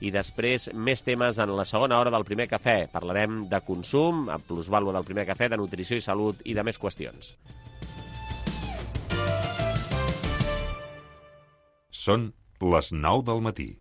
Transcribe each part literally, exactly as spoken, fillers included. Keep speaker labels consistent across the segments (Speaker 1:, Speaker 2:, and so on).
Speaker 1: i després més temes en la segona hora del Primer Cafè. Parlarem de consum, a plusvàlua del Primer Cafè, de nutrició i salut i de més qüestions.
Speaker 2: Són les nou del matí.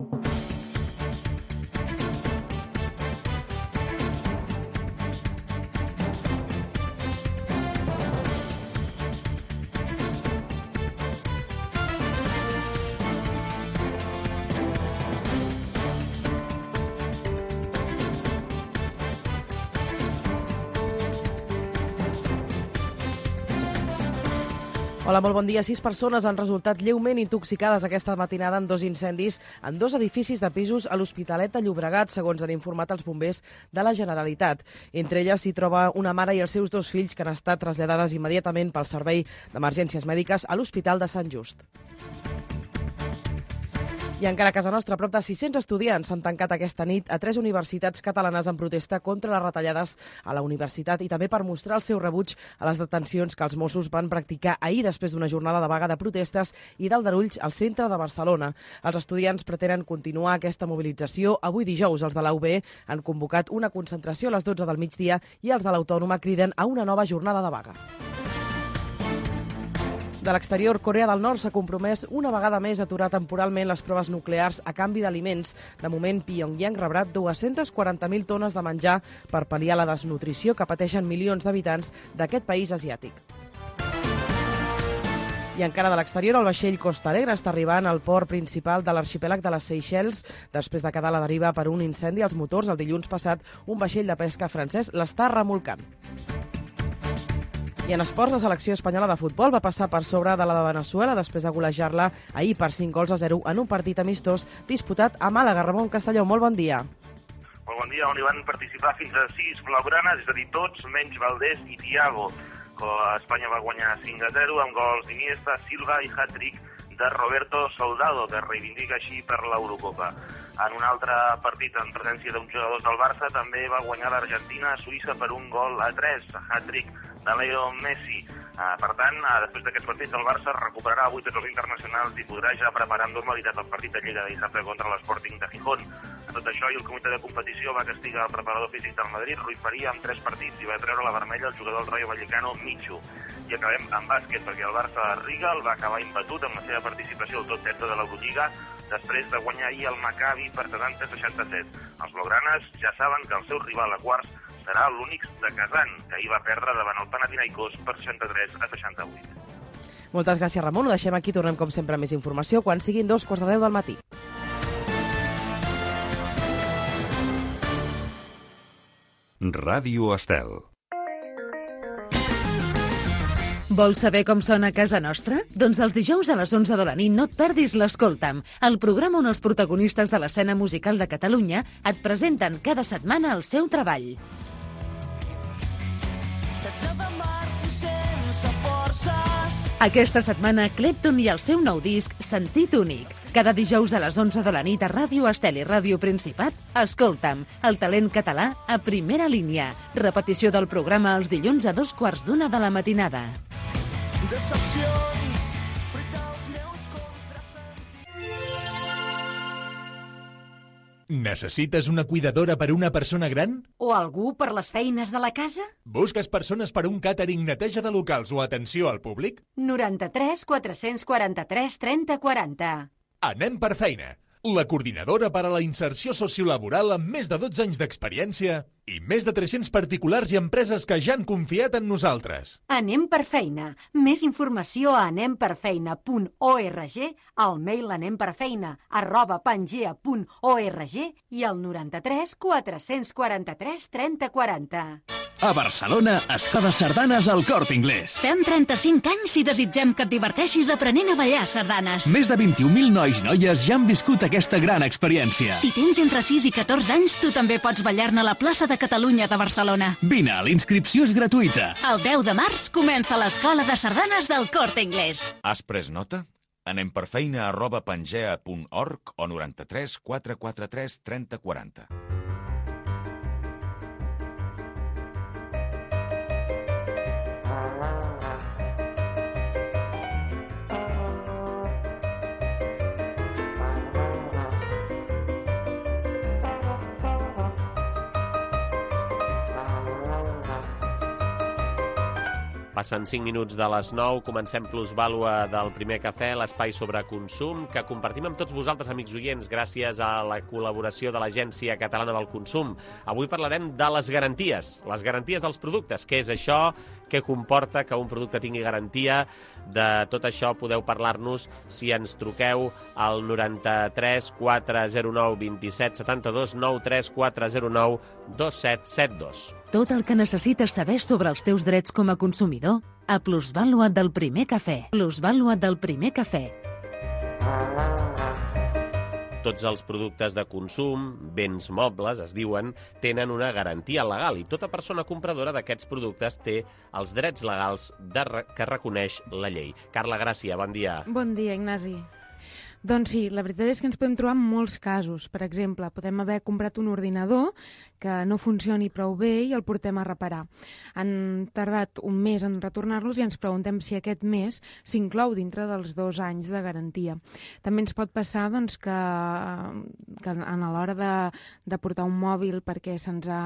Speaker 3: Hola, molt bon dia. Sis persones han resultat lleument intoxicades aquesta matinada en dos incendis en dos edificis de pisos a l'Hospitalet de Llobregat, segons han informat els bombers de la Generalitat. Entre elles s'hi troba una mare i els seus dos fills que han estat traslladades immediatament pel Servei d'Emergències Mèdiques a l'Hospital de Sant Just. I encara a casa nostra, prop de sis-cents estudiants s'han tancat aquesta nit a tres universitats catalanes en protesta contra les retallades a la universitat i també per mostrar el seu rebuig a les detencions que els Mossos van practicar ahir després d'una jornada de vaga de protestes i d'aldarulls al centre de Barcelona. Els estudiants pretenen continuar aquesta mobilització. Avui dijous els de la U B han convocat una concentració a les dotze del migdia i els de l'Autònoma criden a una nova jornada de vaga. De l'exterior, Corea del Nord s'ha compromès una vegada més a aturar temporalment les proves nuclears a canvi d'aliments. De moment, Pyongyang rebrà dues-centes quaranta mil tones de menjar per pal·liar la desnutrició que pateixen milions d'habitants d'aquest país asiàtic. I encara de l'exterior, el vaixell Costa Alegre està arribant al port principal de l'arxipèlag de les Seychelles després de quedar a la deriva per un incendi als motors. El dilluns passat, un vaixell de pesca francès l'està remolcant. I en esports, la selecció espanyola de futbol va passar per sobre de la de Veneçuela després de golejar-la ahir per cinc gols a zero en un partit amistós disputat a Màlaga. Ramon Castelló, molt bon dia.
Speaker 4: Molt bon dia, on hi van participar fins a sis blaugranes, és a dir, tots menys Valdés i Thiago. Espanya va guanyar cinc a zero amb gols d'Iniesta, Silva i hat-trick de Roberto Soldado, que reivindica així per l'Eurocopa. En un altre partit en presència d'uns jugadors del Barça també va guanyar l'Argentina a Suïssa per un gol a tres, hat-trick de Leo Messi. Uh, per tant, uh, després d'aquests partits, el Barça recuperarà avui tots els internacionals i podrà ja preparar amb normalitat el partit de Lliga de dissabte contra l'Sporting de Gijón. A tot això, i el comitè de competició va castigar el preparador físic del Madrid, Rui Faria, amb tres partits i va treure la vermella al jugador del Rayo Vallecano, Michu. I acabem amb bàsquet, perquè el Barça de Rigal va acabar imbatut amb la seva participació al top setze de l'Eurolliga després de guanyar ahir el Maccabi per setanta a seixanta-set. Els blaugranes ja saben que el seu rival a quarts serà l'únic de Kazan, que ahir va perdre davant el Panathinaikos per seixanta-tres a seixanta-vuit.
Speaker 3: Moltes gràcies, Ramon. Ho deixem aquí. Tornem, com sempre, amb més informació quan siguin dos quarts de deu del matí.
Speaker 2: Ràdio Estel.
Speaker 5: Vols saber com sona a casa nostra? Doncs els dijous a les onze de la nit no et perdis l'Escolta'm, el programa on els protagonistes de l'escena musical de Catalunya et presenten cada setmana el seu treball. Aquesta setmana, Clapton i el seu nou disc, Sentit únic. Cada dijous a les onze de la nit a Ràdio Estel i Ràdio Principat, Escolta'm, el talent català a primera línia. Repetició del programa els dilluns a dos quarts d'una de la matinada.
Speaker 6: Decepcions, fruit dels meus contrasentits.
Speaker 7: Necessites una cuidadora per una persona gran?
Speaker 8: O algú per les feines de la casa?
Speaker 7: Busques persones per un càtering, neteja de locals o atenció al públic?
Speaker 8: noranta-tres quatre-cents quaranta-tres trenta quaranta.
Speaker 7: Anem per feina. La coordinadora per a la inserció sociolaboral amb més de dotze anys d'experiència i més de tres-cents particulars i empreses que ja han confiat en nosaltres.
Speaker 8: Anem per feina. Més informació a anemperfeina punt org, al mail anemperfeina arroba pangea punt org i al noranta-tres quatre-cents quaranta-tres trenta quaranta.
Speaker 9: A Barcelona, Escoda Sardanes al Corte Inglés.
Speaker 10: Fem trenta-cinc anys i desitgem que et diverteixis aprenent a ballar sardanes.
Speaker 9: Més de vint-i-un mil nois i noies ja han viscut aquesta gran experiència.
Speaker 10: Si tens entre sis i catorze anys, tu també pots ballar-ne a la plaça de Catalunya de Barcelona.
Speaker 9: Vine, la inscripció és gratuïta.
Speaker 10: El deu de març comença l'Escola de Sardanes del Corte Inglés.
Speaker 11: Has pres nota? Anem per feina arroba pangea punt org o noranta-tres quatre quaranta-tres trenta quaranta.
Speaker 1: Passen cinc minuts de les nou, comencem Plusvàlua del Primer Cafè, l'espai sobre consum, que compartim amb tots vosaltres, amics oients, gràcies a la col·laboració de l'Agència Catalana del Consum. Avui parlarem de les garanties, les garanties dels productes. Què és això? Què comporta que un producte tingui garantia? De tot això podeu parlar-nos si ens truqueu al noranta-tres quatre zero nou vint set setanta-dos, nou tres quatre zero nou dos set set dos.
Speaker 5: Tot el que necessites saber sobre els teus drets com a consumidor a Plusvàlua del Primer Cafè. Plusvàlua del Primer Cafè.
Speaker 1: Tots els productes de consum, béns mobles, es diuen, tenen una garantia legal i tota persona compradora d'aquests productes té els drets legals de re que reconeix la llei. Carla Gràcia, bon dia.
Speaker 12: Bon dia, Ignasi. Doncs sí, la veritat és que ens podem trobar en molts casos. Per exemple, podem haver comprat un ordinador que no funcioni prou bé i el portem a reparar. Han tardat un mes en retornar-los i ens preguntem si aquest mes s'inclou dintre dels dos anys de garantia. També ens pot passar doncs, que, que a l'hora de, de portar un mòbil perquè se'ns ha,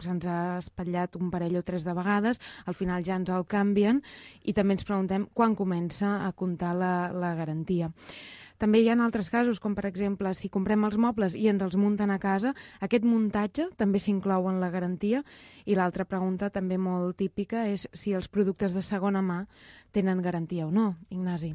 Speaker 12: se'ns ha espatllat un parell o tres de vegades, al final ja ens el canvien i també ens preguntem quan comença a comptar la, la garantia. També hi ha altres casos, com per exemple, si comprem els mobles i ens els munten a casa, aquest muntatge també s'inclou en la garantia. I l'altra pregunta, també molt típica, és si els productes de segona mà tenen garantia o no, Ignasi.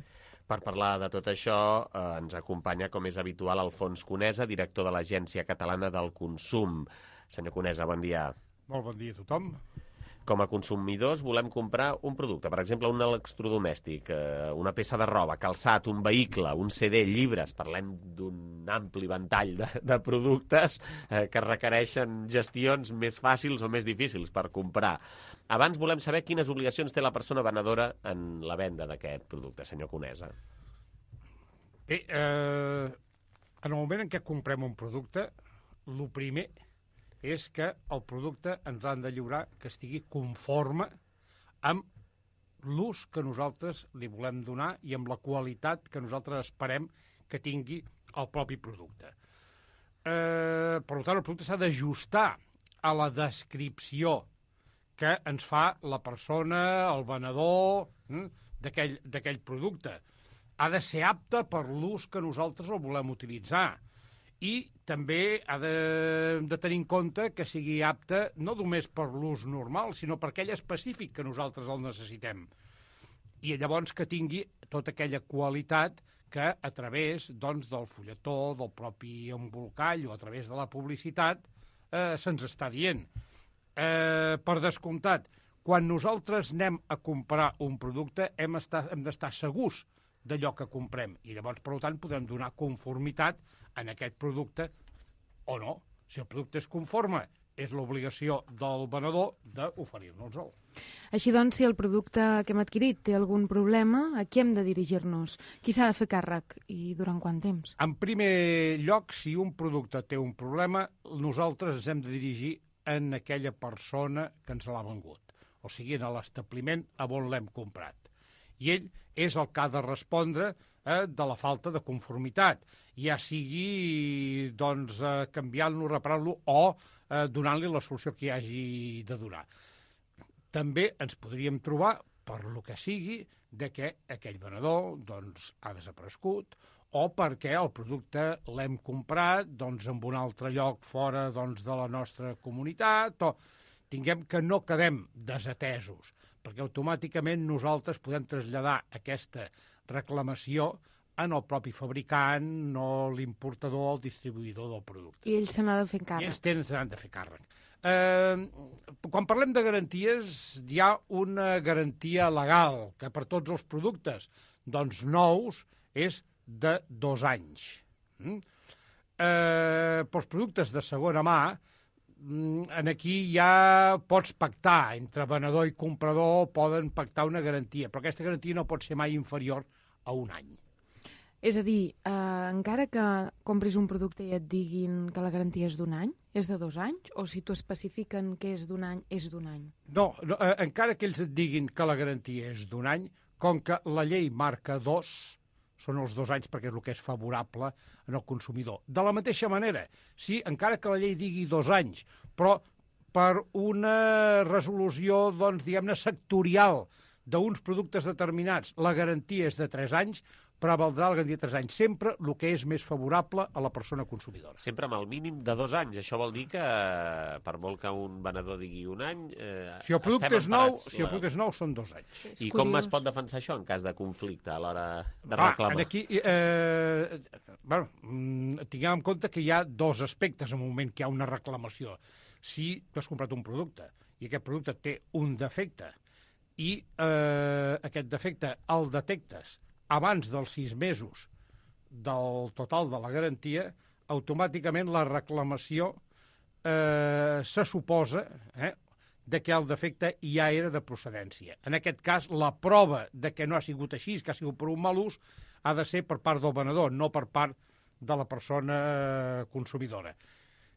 Speaker 1: Per parlar de tot això, eh, ens acompanya, com és habitual, Alfons Conesa, director de l'Agència Catalana del Consum. Senyor Conesa, bon dia.
Speaker 13: Molt bon dia a tothom.
Speaker 1: Com a consumidors volem comprar un producte, per exemple, un electrodomèstic, eh, una peça de roba, calçat, un vehicle, un C D, llibres, parlem d'un ampli ventall de, de productes eh, que requereixen gestions més fàcils o més difícils per comprar. Abans volem saber quines obligacions té la persona venedora en la venda d'aquest producte, senyor Conesa.
Speaker 13: Bé, eh, en el moment en què comprem un producte, el primer és que el producte ens han de lliurar que estigui conforme amb l'ús que nosaltres li volem donar i amb la qualitat que nosaltres esperem que tingui el propi producte. Eh, per tant, el producte s'ha d'ajustar a la descripció que ens fa la persona, el venedor, hm, d'aquell producte. Ha de ser apte per l'ús que nosaltres el volem utilitzar. I també ha de, de tenir en compte que sigui apte no només per l'ús normal, sinó per aquell específic que nosaltres el necessitem. I llavors que tingui tota aquella qualitat que a través doncs, del fulletó, del propi embolcall o a través de la publicitat eh, se'ns està dient. Eh, per descomptat, quan nosaltres anem a comprar un producte hem, estar, hem d'estar segurs d'allò que comprem i llavors, per tant, podem donar conformitat en aquest producte o no. Si el producte és conforme, és l'obligació del venedor d'oferir-nos-el.
Speaker 12: Així doncs, si el producte que hem adquirit té algun problema, a qui hem de dirigir-nos? Qui s'ha de fer càrrec i durant quant temps?
Speaker 13: En primer lloc, si un producte té un problema, nosaltres ens hem de dirigir en aquella persona que ens l'ha vengut, o sigui, en l'establiment a on l'hem comprat. I ell és el que ha de respondre eh, de la falta de conformitat, ja sigui doncs, eh, canviant-lo, reparant-lo o eh, donant-li la solució que hi hagi de donar. També ens podríem trobar, per lo que sigui, de que aquell venedor doncs, ha desaparegut o perquè el producte l'hem comprat doncs, en un altre lloc fora doncs, de la nostra comunitat o tinguem que no quedem desatesos, perquè automàticament nosaltres podem traslladar aquesta reclamació en el propi fabricant, no l'importador o el distribuïdor del producte.
Speaker 12: I ells se n'han de fer càrrec.
Speaker 13: I ells tenen, se n'han de fer càrrec. Eh, quan parlem de garanties, hi ha una garantia legal, que per tots els productes doncs, nous és de dos anys. Mm? Eh, pels productes de segona mà, en aquí ja pots pactar, entre venedor i comprador poden pactar una garantia, però aquesta garantia no pot ser mai inferior a un any.
Speaker 12: És a dir, eh, encara que compris un producte i et diguin que la garantia és d'un any, és de dos anys? O si t'ho especifiquen que és d'un any, és d'un any?
Speaker 13: No, no eh, encara que ells et diguin que la garantia és d'un any, com que la llei marca dos, són els dos anys perquè és el que és favorable en el consumidor. De la mateixa manera, sí, encara que la llei digui dos anys, però per una resolució, doncs, diguem-ne, sectorial d'uns productes determinats la garantia és de tres anys, prevaldrà la garantia de tres anys. Sempre el que és més favorable a la persona consumidora.
Speaker 1: Sempre amb el mínim de dos anys. Això vol dir que, per molt que un venedor digui un any... Eh,
Speaker 13: si el producte és nou,
Speaker 1: la...
Speaker 13: si el producte és nou, són dos anys.
Speaker 1: És I curiós. Com es pot defensar això en cas de conflicte a l'hora de reclamar?
Speaker 13: Ah, aquí, eh, bueno, tinguem en compte que hi ha dos aspectes en el moment que hi ha una reclamació. Si tu has comprat un producte i aquest producte té un defecte i eh, aquest defecte el detectes abans dels sis mesos del total de la garantia, automàticament la reclamació eh, se suposa eh, de que el defecte ja era de procedència. En aquest cas, la prova de que no ha sigut així, que ha sigut per un mal ús, ha de ser per part del venedor, no per part de la persona consumidora.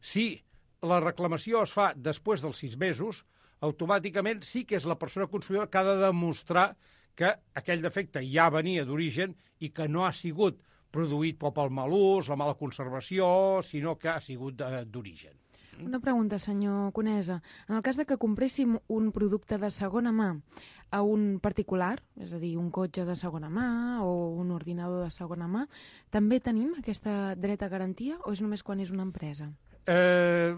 Speaker 13: Si la reclamació es fa després dels sis mesos, automàticament sí que és la persona consumidora que ha de demostrar que aquell defecte ja venia d'origen i que no ha sigut produït pel mal ús, la mala conservació, sinó que ha sigut d'origen.
Speaker 12: Una pregunta, senyor Conesa. En el cas de que compréssim un producte de segona mà a un particular, és a dir, un cotxe de segona mà o un ordinador de segona mà, també tenim aquesta dret a garantia o és només quan és una empresa?
Speaker 13: Eh,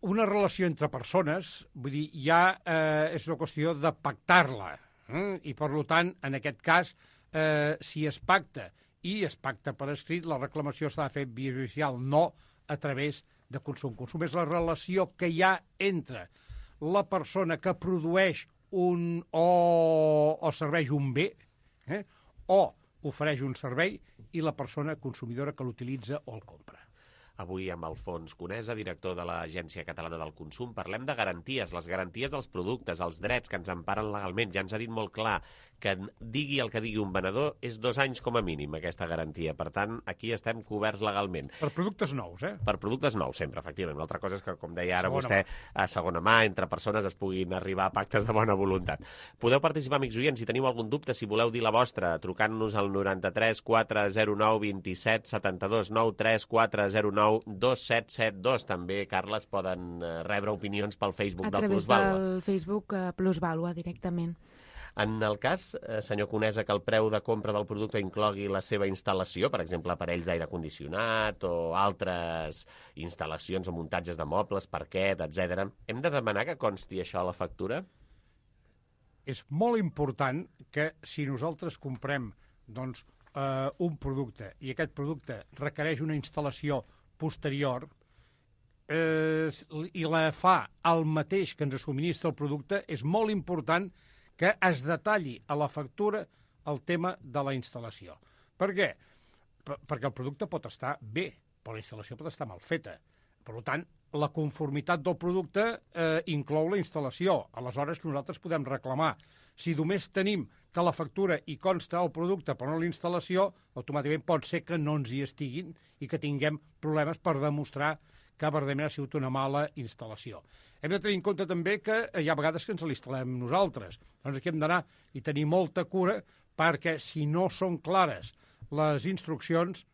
Speaker 13: una relació entre persones, vull dir, ja eh, és una qüestió de pactar-la. Eh? I, per tant, en aquest cas, eh, si es pacta i es pacta per escrit, la reclamació s'ha de fer via judicial, no a través de consum. Consum és la relació que hi ha entre la persona que produeix un o, o serveix un bé eh? o ofereix un servei i la persona consumidora que l'utilitza o el compra.
Speaker 1: Avui amb Alfons Conesa, director de l'Agència Catalana del Consum, parlem de garanties, les garanties dels productes, els drets que ens emparen legalment. Ja ens ha dit molt clar que digui el que digui un venedor és dos anys com a mínim aquesta garantia. Per tant, aquí estem coberts legalment.
Speaker 13: Per productes nous, eh?
Speaker 1: Per productes nous, sempre, efectivament. Una altra cosa és que, com deia ara segona vostè, mà. a segona mà, entre persones es puguin arribar a pactes de bona voluntat. Podeu participar, amics oients, si teniu algun dubte, si voleu dir la vostra, trucant-nos al noranta-tres quatre zero nou vint-i-set setanta-dos nou tres quatre zero nou dos set set dos. També, Carles, poden rebre opinions pel Facebook del Plusvàlua.
Speaker 12: A través del Facebook uh, Plusvàlua, directament.
Speaker 1: En el cas, eh, senyor Conesa, que el preu de compra del producte inclogui la seva instal·lació, per exemple, aparells d'aire condicionat o altres instal·lacions o muntatges de mobles, parquet, etcètera, hem de demanar que consti això a la factura?
Speaker 13: És molt important que si nosaltres comprem doncs, eh, un producte i aquest producte requereix una instal·lació posterior eh, i la fa el mateix que ens subministra el producte, és molt important que es detalli a la factura el tema de la instal·lació. Per què? Per, perquè el producte pot estar bé, però la instal·lació pot estar mal feta. Per tant, la conformitat del producte eh, inclou la instal·lació. Aleshores, nosaltres podem reclamar. Si només tenim que la factura hi consta el producte però no la instal·lació, automàticament pot ser que no ens hi estiguin i que tinguem problemes per demostrar que verdaderament ha sigut una mala instal·lació. Hem de tenir en compte també que hi ha vegades que ens l'instal·lem nosaltres. Doncs aquí hem d'anar i tenir molta cura perquè si no són clares les instruccions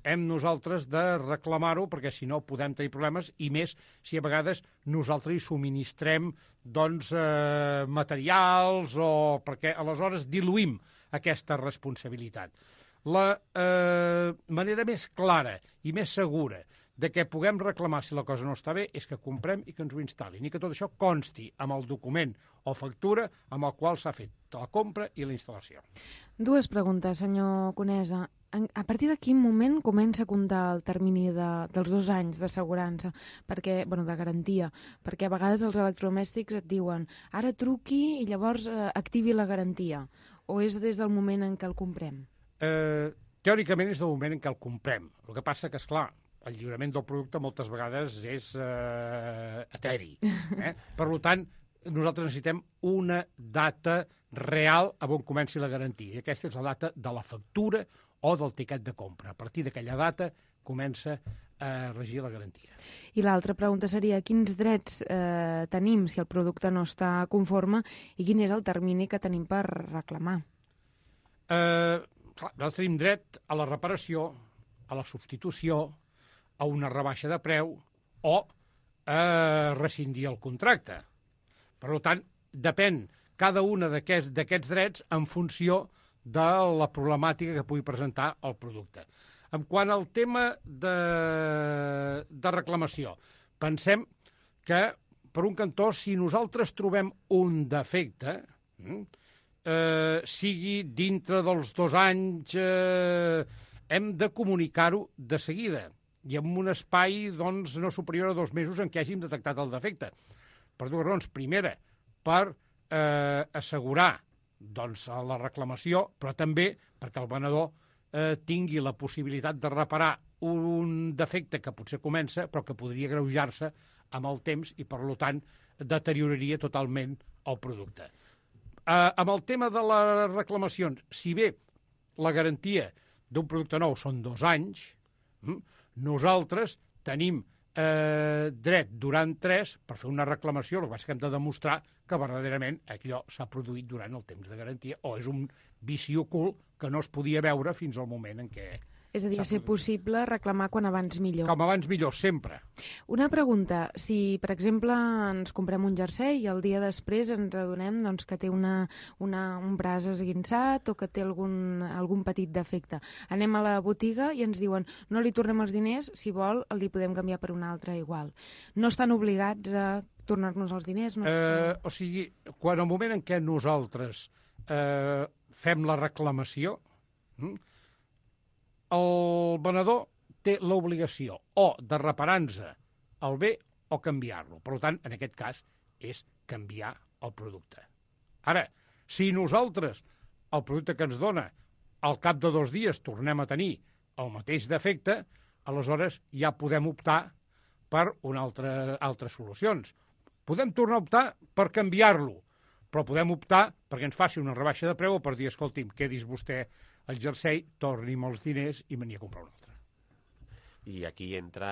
Speaker 13: hem nosaltres de reclamar-ho perquè si no podem tenir problemes i més si a vegades nosaltres hi subministrem doncs, eh, materials o perquè aleshores diluïm aquesta responsabilitat. La eh, manera més clara i més segura de què puguem reclamar si la cosa no està bé és que comprem i que ens ho instal·lin i que tot això consti amb el document o factura amb el qual s'ha fet la compra i la instal·lació.
Speaker 12: Dues preguntes, senyor Conesa. A partir de quin moment comença a comptar el termini de, dels dos anys d'assegurança, perquè, bueno, de garantia? Perquè a vegades els electrodomèstics et diuen ara truqui i llavors eh, activi la garantia. O és des del moment en què el comprem?
Speaker 13: Eh, teòricament és del moment en què el comprem. El que passa que, esclar, el lliurament del producte moltes vegades és eh, eteri. Eh? Per tant, nosaltres necessitem una data real a on comenci la garantia. I aquesta és la data de la factura o del tiquet de compra. A partir d'aquella data comença a regir la garantia.
Speaker 12: I l'altra pregunta seria quins drets eh, tenim si el producte no està conforme i quin és el termini que tenim per reclamar?
Speaker 13: Eh, clar, nosaltres tenim dret a la reparació, a la substitució, a una rebaixa de preu o a rescindir el contracte. Per tant, depèn cada un d'aquests drets en funció de la problemàtica que pugui presentar el producte. En quant al tema de, de reclamació, pensem que, per un cantó, si nosaltres trobem un defecte, eh, sigui dintre dels dos anys, eh, hem de comunicar-ho de seguida i en un espai doncs, no superior a dos mesos en què hàgim detectat el defecte. Per dues raons. Primera, per eh, assegurar doncs, la reclamació, però també perquè el venedor eh, tingui la possibilitat de reparar un defecte que potser comença però que podria greujar-se amb el temps i, per tant, deterioraria totalment el producte. Eh, amb el tema de les reclamacions, si bé la garantia d'un producte nou són dos anys, hm, nosaltres tenim eh, dret durant tres per fer una reclamació, el que passa que hem de demostrar que verdaderament allò s'ha produït durant el temps de garantia o és un vici ocult que no es podia veure fins al moment en què...
Speaker 12: És a dir, ser possible reclamar quan abans millor.
Speaker 13: Com abans millor, sempre.
Speaker 12: Una pregunta. Si, per exemple, ens comprem un jersei i el dia després ens adonem doncs, que té una, una, un braç esguinçat o que té algun, algun petit defecte. Anem a la botiga i ens diuen no li tornem els diners, si vol el li podem canviar per un altre igual. No estan obligats a tornar-nos els diners? No
Speaker 13: eh, o sigui, quan al moment en què nosaltres eh, fem la reclamació, hm, el venedor té l'obligació o de reparar-nos el bé o canviar-lo. Per tant, en aquest cas, és canviar el producte. Ara, si nosaltres el producte que ens dona al cap de dos dies tornem a tenir el mateix defecte, aleshores ja podem optar per una altra, altres solucions. Podem tornar a optar per canviar-lo, però podem optar perquè ens faci una rebaixa de preu o per dir, escolti'm, quedis vostè el jersei, torni'm els diners i me n'hi a comprar un altre.
Speaker 1: I aquí entra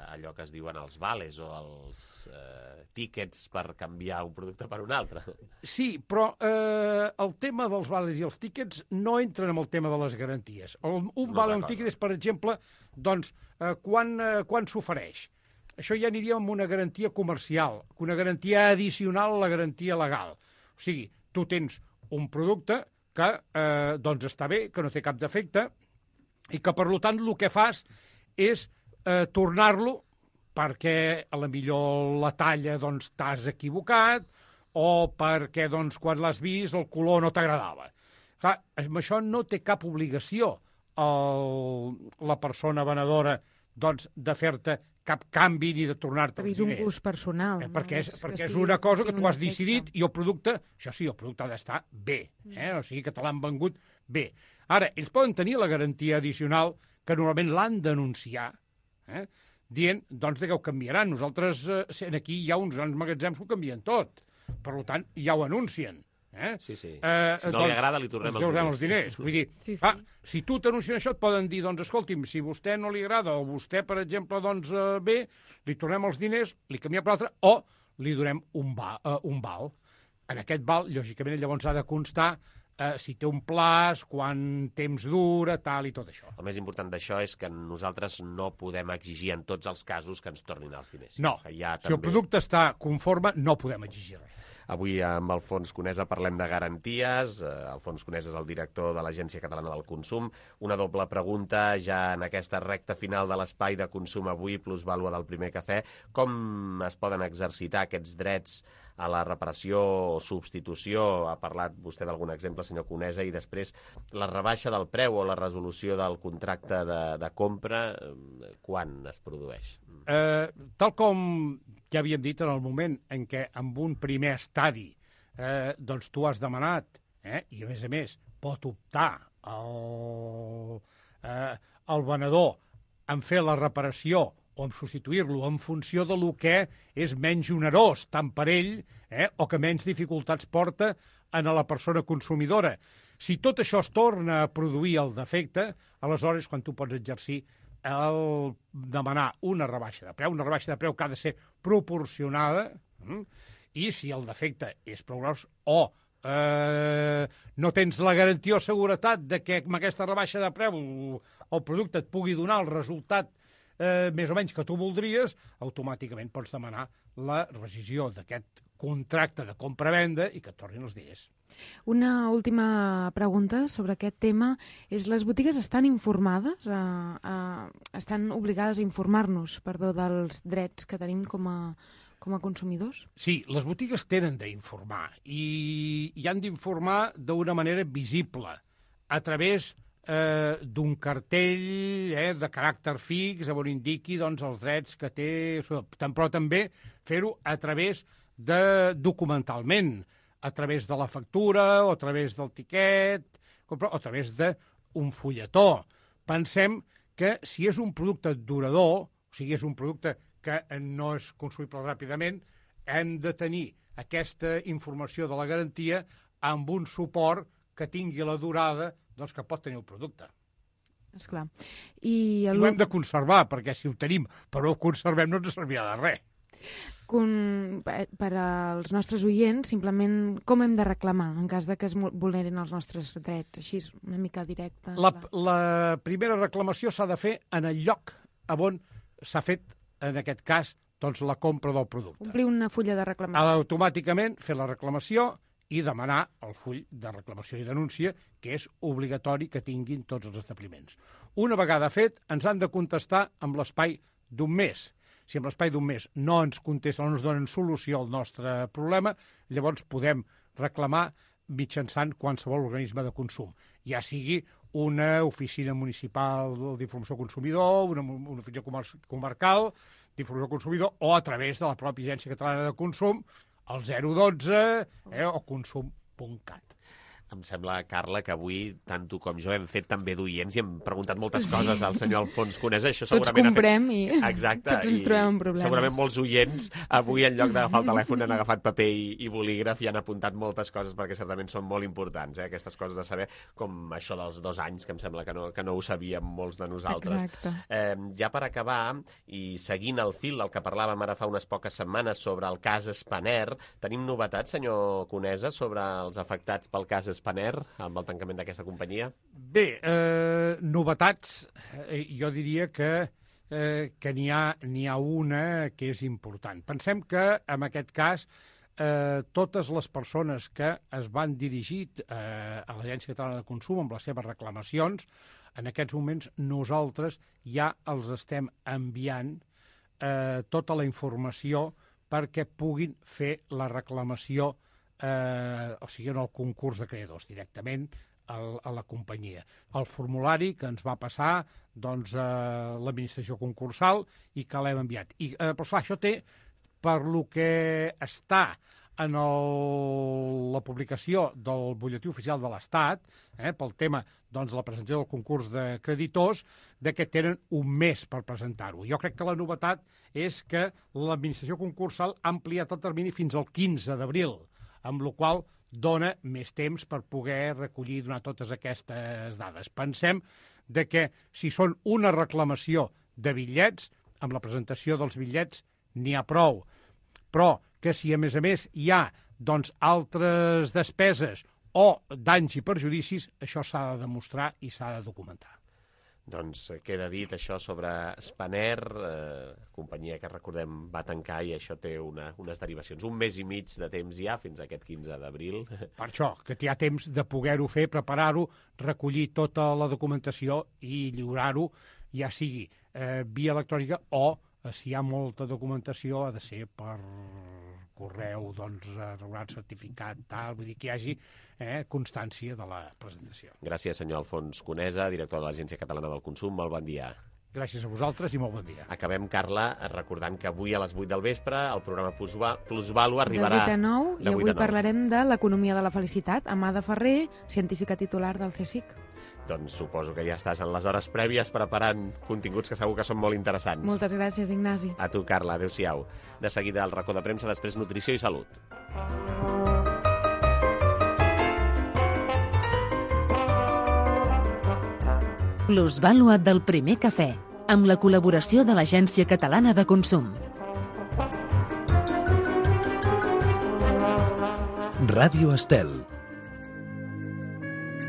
Speaker 1: allò que es diuen els vales o els eh, tíquets per canviar un producte per un altre.
Speaker 13: Sí, però eh, el tema dels vales i els tíquets no entren en el tema de les garanties. Un, un
Speaker 1: No
Speaker 13: vale o un
Speaker 1: recordo.
Speaker 13: tíquet és, per exemple, doncs, eh, quan, eh, quan s'ofereix. Això ja aniria amb una garantia comercial, una garantia addicional a la garantia legal. O sigui, tu tens un producte que eh, doncs està bé, que no té cap defecte, i que, per tant, el que fas és eh, tornar-lo perquè a la millor la talla doncs, t'has equivocat o perquè doncs, quan l'has vist el color no t'agradava. Clar, amb això no té cap obligació el, la persona venedora doncs, de fer-te cap canvi ni de tornar-te els
Speaker 12: És un
Speaker 13: diners.
Speaker 12: gust personal.
Speaker 13: Eh, perquè és,
Speaker 12: no?
Speaker 13: perquè
Speaker 12: que
Speaker 13: és
Speaker 12: estigui-
Speaker 13: una cosa que
Speaker 12: tingui
Speaker 13: tu
Speaker 12: un
Speaker 13: has
Speaker 12: defecte.
Speaker 13: decidit i el producte, això sí, el producte ha d'estar bé, eh? O sigui que te l'han vengut bé. Ara, ells poden tenir la garantia addicional que normalment l'han d'anunciar, eh? dient doncs, que ho canviaran. Nosaltres, eh, aquí hi ha uns grans magatzems que ho canvien tot. Per tant, ja ho anuncien. Eh?
Speaker 1: Sí, sí.
Speaker 13: Eh,
Speaker 1: Si no li agrada, li tornem
Speaker 13: els
Speaker 1: els diners.
Speaker 13: els diners. Vull dir,
Speaker 12: Sí, sí.
Speaker 13: ah, si tu t'anuncien això, et poden dir, doncs, escolti'm, si a vostè no li agrada o vostè, per exemple, doncs, eh, bé, li tornem els diners, li canviem per l'altre, o li donem un, va, eh, un val. En aquest val, lògicament, llavors ha de constar eh, si té un plaç, quant temps dura, tal i tot això.
Speaker 1: El més important d'això és que nosaltres no podem exigir en tots els casos que ens tornin els diners.
Speaker 13: No,
Speaker 1: Que ja
Speaker 13: si el
Speaker 1: també...
Speaker 13: producte està conforme, no podem exigir res.
Speaker 1: Avui amb Alfons Conesa parlem de garanties. Eh, Alfons Conesa és el director de l'Agència Catalana del Consum. Una doble pregunta ja en aquesta recta final de l'espai de consum avui, plus vàlua del primer cafè. Com es poden exercitar aquests drets a la reparació o substitució? Ha parlat vostè d'algun exemple, senyor Conesa, i després la rebaixa del preu o la resolució del contracte de, de compra, eh, quan es produeix?
Speaker 13: Eh, tal com ja havíem dit en el moment en què amb un primer estadi eh, doncs tu has demanat eh, i a més a més pot optar el, eh, el venedor en fer la reparació o en substituir-lo en funció de lo que és menys onerós tant per ell eh, o que menys dificultats porta a la persona consumidora. Si tot això es torna a produir el defecte, aleshores quan tu pots exercir el demanar una rebaixa de preu, una rebaixa de preu que ha de ser proporcionada, mm? i si el defecte és prou gros o eh, no tens la garantia o seguretat de que amb aquesta rebaixa de preu el producte et pugui donar el resultat eh, més o menys que tu voldries, automàticament pots demanar la rescissió d'aquest contracte de compra-venda i que et tornin els diners.
Speaker 12: Una última pregunta sobre aquest tema és: les botigues estan informades, eh, eh, estan obligades a informar-nos, perdó, dels drets que tenim com a, com a consumidors?
Speaker 13: Sí, les botigues tenen d'informar i, i han d'informar d'una manera visible, a través eh, d'un cartell eh, de caràcter fix on indiqui doncs, els drets que té, però també fer-ho a través de documentalment, a través de la factura o a través del tiquet o a través d'un fulletó. Pensem que si és un producte durador, o sigui, és un producte que no és consumible ràpidament, hem de tenir aquesta informació de la garantia amb un suport que tingui la durada doncs, que pot tenir el producte.
Speaker 12: Esclar. I, el...
Speaker 13: I ho hem de conservar, perquè si ho tenim però ho conservem no ens servirà de res.
Speaker 12: Con... Per als nostres oients, simplement com hem de reclamar en cas de que es vulnerin els nostres drets? Així és una mica directa.
Speaker 13: La, la primera reclamació s'ha de fer en el lloc on s'ha fet, en aquest cas, doncs, la compra del producte.
Speaker 12: Omplir una fulla de reclamació.
Speaker 13: Automàticament fer la reclamació i demanar el full de reclamació i denúncia, que és obligatori que tinguin tots els establiments. Una vegada fet, ens han de contestar amb l'espai d'un mes. Si en l'espai d'un mes no ens contesten, no ens donen solució al nostre problema, llavors podem reclamar mitjançant qualsevol organisme de consum, ja sigui una oficina municipal d'informació consumidor, una, una oficina comer comarcal d'informació consumidor, o a través de la pròpia Agència Catalana de Consum, el zero dotze eh, o consum punt cat.
Speaker 1: Em sembla, Carla, que avui tant tu com jo hem fet també d'oients i hem preguntat moltes sí. coses al senyor Alfons Conesa. Això
Speaker 12: tots comprem
Speaker 1: fet...
Speaker 12: i
Speaker 1: Exacte,
Speaker 12: tots ens trobem amb problemes.
Speaker 1: Segurament molts oients avui, en lloc d'agafar el telèfon, han agafat paper i, i bolígraf i han apuntat moltes coses perquè certament són molt importants, eh? Aquestes coses de saber, com això dels dos anys, que em sembla que no, que no ho sabíem molts de nosaltres. Eh, ja per acabar, i seguint el fil del que parlàvem ara fa unes poques setmanes sobre el cas Spanair, tenim novetats, senyor Conesa, sobre els afectats pel cas Spanair, amb el tancament d'aquesta companyia?
Speaker 13: Bé, eh, novetats, eh, jo diria que, eh, que n'hi ha, n'hi ha una que és important. Pensem que, en aquest cas, eh, totes les persones que es van dirigir eh, a l'Agència Catalana de Consum amb les seves reclamacions, en aquests moments nosaltres ja els estem enviant eh, tota la informació perquè puguin fer la reclamació Eh, o sigui, en el concurs de creadors, directament al, a la companyia. El formulari que ens va passar doncs, a l'administració concursal i que l'hem enviat. I, eh, però clar, això té, per lo que està en el, la publicació del butlletí oficial de l'Estat, eh, pel tema doncs, la presentació del concurs de creditors, de que tenen un mes per presentar-ho. Jo crec que la novetat és que l'administració concursal ha ampliat el termini fins al quinze d'abril, amb la qual dona més temps per poder recollir i donar totes aquestes dades. Pensem de que si són una reclamació de bitllets, amb la presentació dels bitllets n'hi ha prou, però que si a més a més hi ha doncs, altres despeses o danys i perjudicis, això s'ha de demostrar i s'ha de documentar.
Speaker 1: Doncs queda dit això sobre Spanair, eh, companyia que recordem va tancar i això té una, unes derivacions. Un mes i mig de temps ja, fins a aquest quinze d'abril.
Speaker 13: Per això, que hi ha temps de poder-ho fer, preparar-ho, recollir tota la documentació i lliurar-ho, ja sigui eh, via electrònica o, eh, si hi ha molta documentació, ha de ser per correu, doncs, regulat, certificat, tal, vull dir que hi hagi eh, constància de la presentació.
Speaker 1: Gràcies, senyor Alfons Conesa, director de l'Agència Catalana del Consum. Molt bon dia.
Speaker 13: Gràcies a vosaltres i molt bon dia.
Speaker 1: Acabem, Carla, recordant que avui a les vuit del vespre el programa Plusvàlua arribarà...
Speaker 12: De vuit a nou, i avui parlarem de l'economia de la felicitat. Amada Ferrer, científica titular del C S I C.
Speaker 1: Doncs suposo que ja estàs en les hores prèvies preparant continguts que segur que són molt interessants.
Speaker 12: Moltes gràcies, Ignasi.
Speaker 1: A tu, Carla. Adéu-siau. De seguida el racó de premsa, després nutrició i salut.
Speaker 5: Plusvàlua del primer cafè, amb la col·laboració de l'Agència Catalana de Consum.
Speaker 14: Ràdio Estel.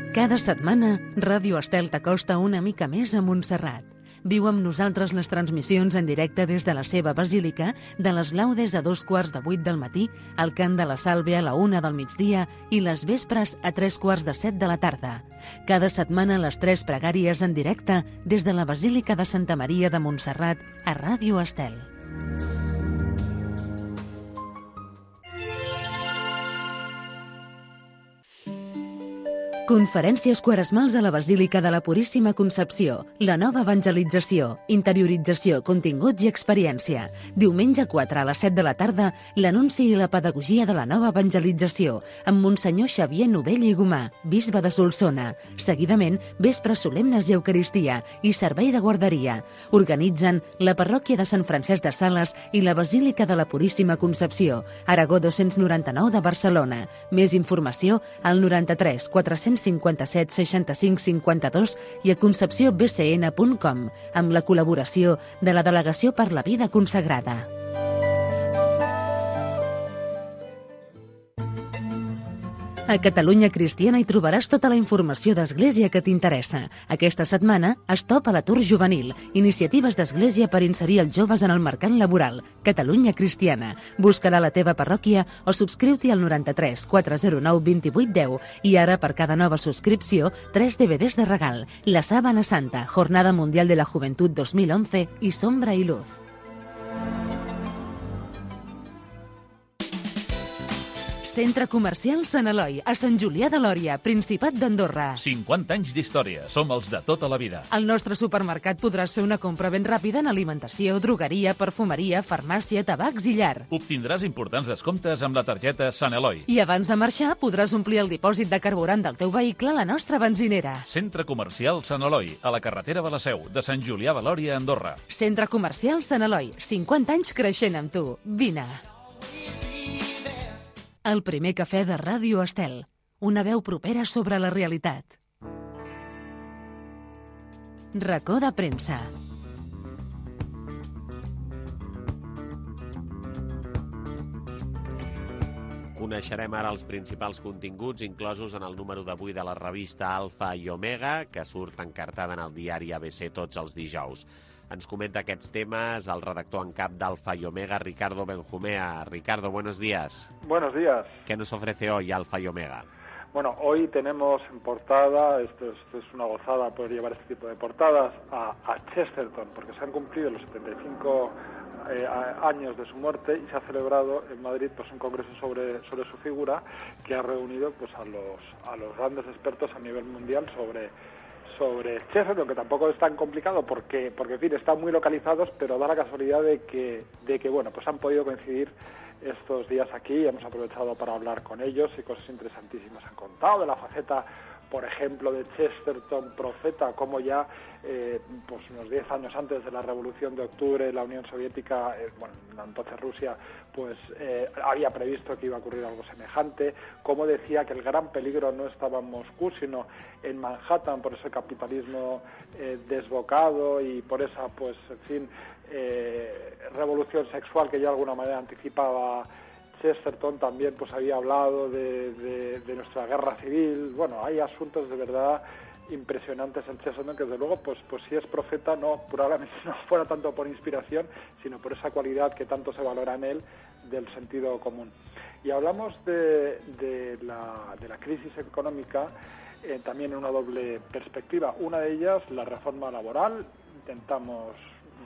Speaker 5: Cada setmana, Ràdio Estel t'acosta una mica més a Montserrat. Viu amb nosaltres les transmissions en directe des de la seva basílica, de les laudes a dos quarts de vuit del matí, el cant de la Salve a la una del migdia i les vespres a tres quarts de set de la tarda. Cada setmana les tres pregàries en directe des de la Basílica de Santa Maria de Montserrat a Ràdio Estel. Conferències quaresmals a la Basílica de la Puríssima Concepció, la nova evangelització, interiorització, continguts i experiència. Diumenge quatre a les set de la tarda, l'anunci i la pedagogia de la nova evangelització, amb Monsenyor Xavier Novell i Gomà, bisbe de Solsona. Seguidament, vespres solemnes i Eucaristia i servei de guarderia. Organitzen la parròquia de Sant Francesc de Sales i la Basílica de la Puríssima Concepció, Aragó dos-cents noranta-nou de Barcelona. Més informació al noranta-tres quatre-cents cinquanta-set seixanta-cinc cinquanta-dos i a concepció b c n punt com, amb la col·laboració de la Delegació per la Vida Consagrada. A Catalunya Cristiana hi trobaràs tota la informació d'Església que t'interessa. Aquesta setmana, Stop a l'atur juvenil, iniciatives d'Església per inserir els joves en el mercat laboral. Catalunya Cristiana. Busca-la a la teva parròquia o subscriu-t'hi al noranta-tres quatre zero nou vint-i-vuit deu i ara, per cada nova subscripció, tres D V Ds de regal. La Sábana Santa, Jornada Mundial de la Juventud dos mil once i Sombra i Luz. Centre Comercial Sant Eloi, a Sant Julià de Lòria, Principat d'Andorra.
Speaker 15: cinquanta anys d'història. Som els de tota la vida.
Speaker 5: Al nostre supermercat podràs fer una compra ben ràpida en alimentació, drogueria, perfumeria, farmàcia, tabacs i llar.
Speaker 15: Obtindràs importants descomptes amb la targeta Sant Eloi.
Speaker 5: I abans de marxar podràs omplir el dipòsit de carburant del teu vehicle a la nostra benzinera.
Speaker 15: Centre Comercial Sant Eloi, a la carretera de la Seu, de Sant Julià de Lòria, Andorra.
Speaker 5: Centre Comercial Sant Eloi, cinquanta anys creixent amb tu. Vine. El primer cafè de Ràdio Estel. Una veu propera sobre la realitat. Racó de premsa.
Speaker 1: Coneixerem ara els principals continguts inclosos en el número d'avui de la revista Alfa i Omega, que surt encartada en el diari A B C tots els dijous. Ens comenta aquests temes el redactor en cap d'Alfa y Omega, Ricardo Benjumea. Ricardo, buenos días.
Speaker 16: Buenos días.
Speaker 1: ¿Qué nos ofrece hoy Alfa y Omega?
Speaker 16: Bueno, hoy tenemos en portada, esto es, esto es una gozada poder llevar este tipo de portadas, a, a Chesterton, porque se han cumplido los setenta y cinco eh, años de su muerte y se ha celebrado en Madrid pues un congreso sobre, sobre su figura que ha reunido pues a los, a los grandes expertos a nivel mundial sobre sobre Chesterton, que tampoco es tan complicado porque, porque en fin, están muy localizados, pero da la casualidad de que, de que bueno, pues han podido coincidir estos días aquí y hemos aprovechado para hablar con ellos y cosas interesantísimas han contado de la faceta, por ejemplo, de Chesterton, profeta, como ya eh, pues unos diez años antes de la Revolución de Octubre, la Unión Soviética, eh, bueno, entonces Rusia, pues eh, había previsto que iba a ocurrir algo semejante, como decía que el gran peligro no estaba en Moscú, sino en Manhattan, por ese capitalismo eh, desbocado y por esa, pues, en fin, eh, revolución sexual que ya de alguna manera anticipaba Chesterton. También pues había hablado de, de, de nuestra guerra civil. Bueno, hay asuntos de verdad impresionantes en Chesterton que desde luego pues pues si es profeta no probablemente no fuera tanto por inspiración sino por esa cualidad que tanto se valora en él del sentido común. Y hablamos de, de, la, de la crisis económica eh, también en una doble perspectiva. Una de ellas, la reforma laboral. Intentamos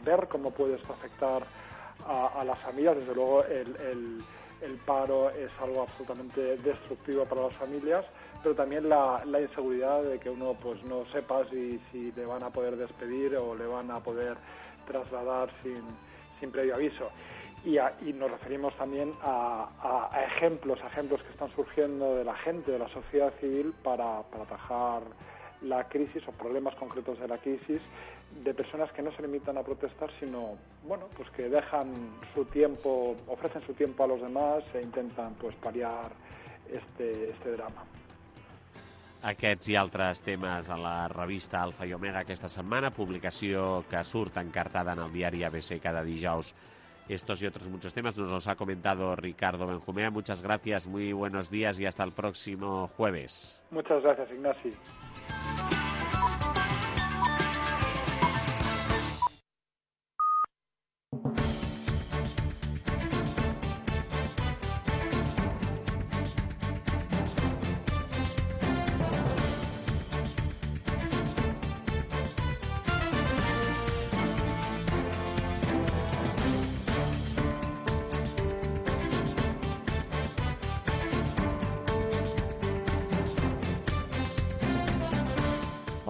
Speaker 16: ver cómo puede esto afectar a, a las familias. Desde luego el, el El paro es algo absolutamente destructivo para las familias, pero también la, la inseguridad de que uno pues no sepa si, si le van a poder despedir o le van a poder trasladar sin, sin previo aviso. Y, a, y nos referimos también a, a, a ejemplos, a ejemplos que están surgiendo de la gente, de la sociedad civil para, para atajar la crisis o problemas concretos de la crisis, de personas que no se limitan a protestar, sino bueno, pues que dejan su tiempo, ofrecen su tiempo a los demás e intentan pues paliar este, este drama.
Speaker 1: Aquests i altres temes a la revista Alfa i Omega aquesta setmana, publicació que surt encartada en el diari A B C cada dijous. Estos y otros muchos temas nos los ha comentado Ricardo Benjumea. Muchas gracias, muy buenos días y hasta el próximo jueves.
Speaker 16: Muchas gracias, Ignasi.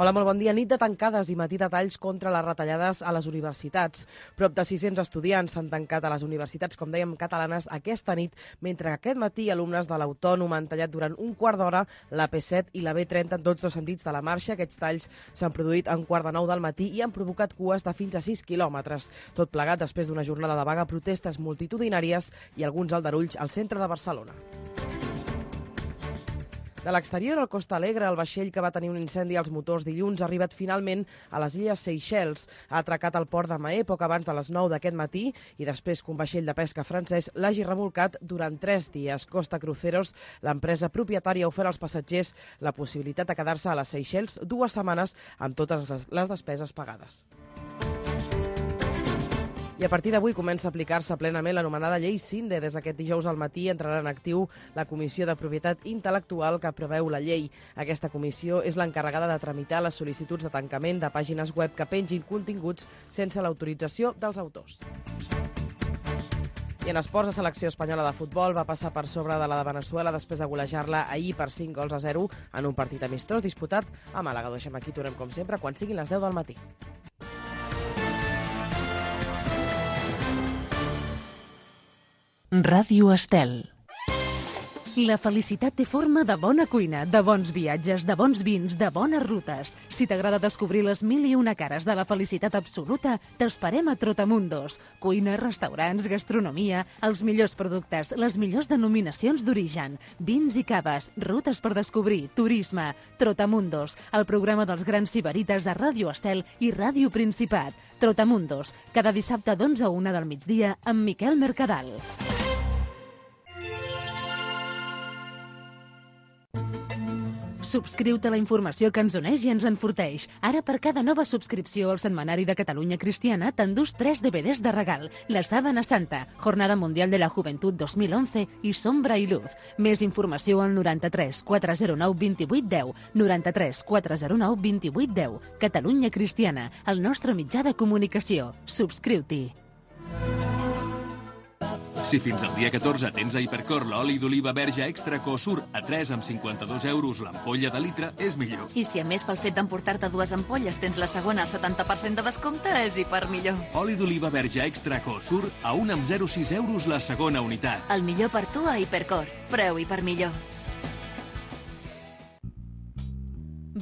Speaker 3: Hola, molt bon dia. Nit de tancades i matí de talls contra les retallades a les universitats. Prop de sis-cents estudiants s'han tancat a les universitats, com dèiem, catalanes aquesta nit, mentre que aquest matí alumnes de l'Autònoma han tallat durant un quart d'hora la P set i la B trenta en tots dos sentits de la marxa. Aquests talls s'han produït a un quart de nou del matí i han provocat cues de fins a sis quilòmetres. Tot plegat després d'una jornada de vaga, protestes multitudinàries i alguns aldarulls al centre de Barcelona. De l'exterior, al Costa Alegre, el vaixell que va tenir un incendi als motors dilluns ha arribat finalment a les illes Seychelles. Ha atracat al port de Mahé poc abans de les nou d'aquest matí i després que un vaixell de pesca francès l'hagi remolcat durant tres dies. Costa Cruceros, l'empresa propietària, ha ofert als passatgers la possibilitat de quedar-se a les Seychelles dues setmanes amb totes les despeses pagades. I a partir d'avui comença a aplicar-se plenament l'anomenada llei Sinde. Des d'aquest dijous al matí entrarà en actiu la Comissió de Propietat Intel·lectual que preveu la llei. Aquesta comissió és l'encarregada de tramitar les sol·licituds de tancament de pàgines web que pengin continguts sense l'autorització dels autors. I en esports, la selecció espanyola de futbol va passar per sobre de la de Veneçuela després de golejar-la ahir per cinc gols a zero en un partit amistós disputat a Màlaga. Ho deixem aquí, tornem com sempre quan siguin les deu del matí.
Speaker 5: Ràdio Estel. La felicitat té forma de bona cuina, de bons viatges, de bons vins, de bones rutes. Si t'agrada descobrir les mil i una cares de la felicitat absoluta, t'esperem a Trotamundos. Cuina, restaurants, gastronomia, els millors productes, les millors denominacions d'origen, vins i caves, rutes per descobrir, turisme. Trotamundos, el programa dels grans sibarites a Ràdio Estel i Ràdio Principat. Trotamundos, cada dissabte d'onze a una del migdia amb Miquel Mercadal. Subscriu-te a la informació que ens uneix i ens enforteix. Ara, per cada nova subscripció al Setmanari de Catalunya Cristiana, t'endús tres D V Ds de regal. La Sábana Santa, Jornada Mundial de la Juventud dos mil onze i Sombra i Luz. Més informació al noranta-tres quatre zero nou vint vuit deu. noranta-tres quatre zero nou vint vuit deu. Catalunya Cristiana, el nostre mitjà de comunicació. Subscriu-t'hi.
Speaker 9: Si fins al dia catorze tens a Hipercor l'oli d'oliva verge extra Cosur a tres amb cinquanta-dos euros l'ampolla de litre, és millor.
Speaker 17: I si a més pel fet d'emportar-te dues ampolles tens la segona al setanta per cent de descompte, és hiper millor.
Speaker 9: Oli d'oliva verge extra Cosur a un amb zero coma sis euros la segona unitat.
Speaker 17: El millor per tu a Hipercor. Preu hiper millor.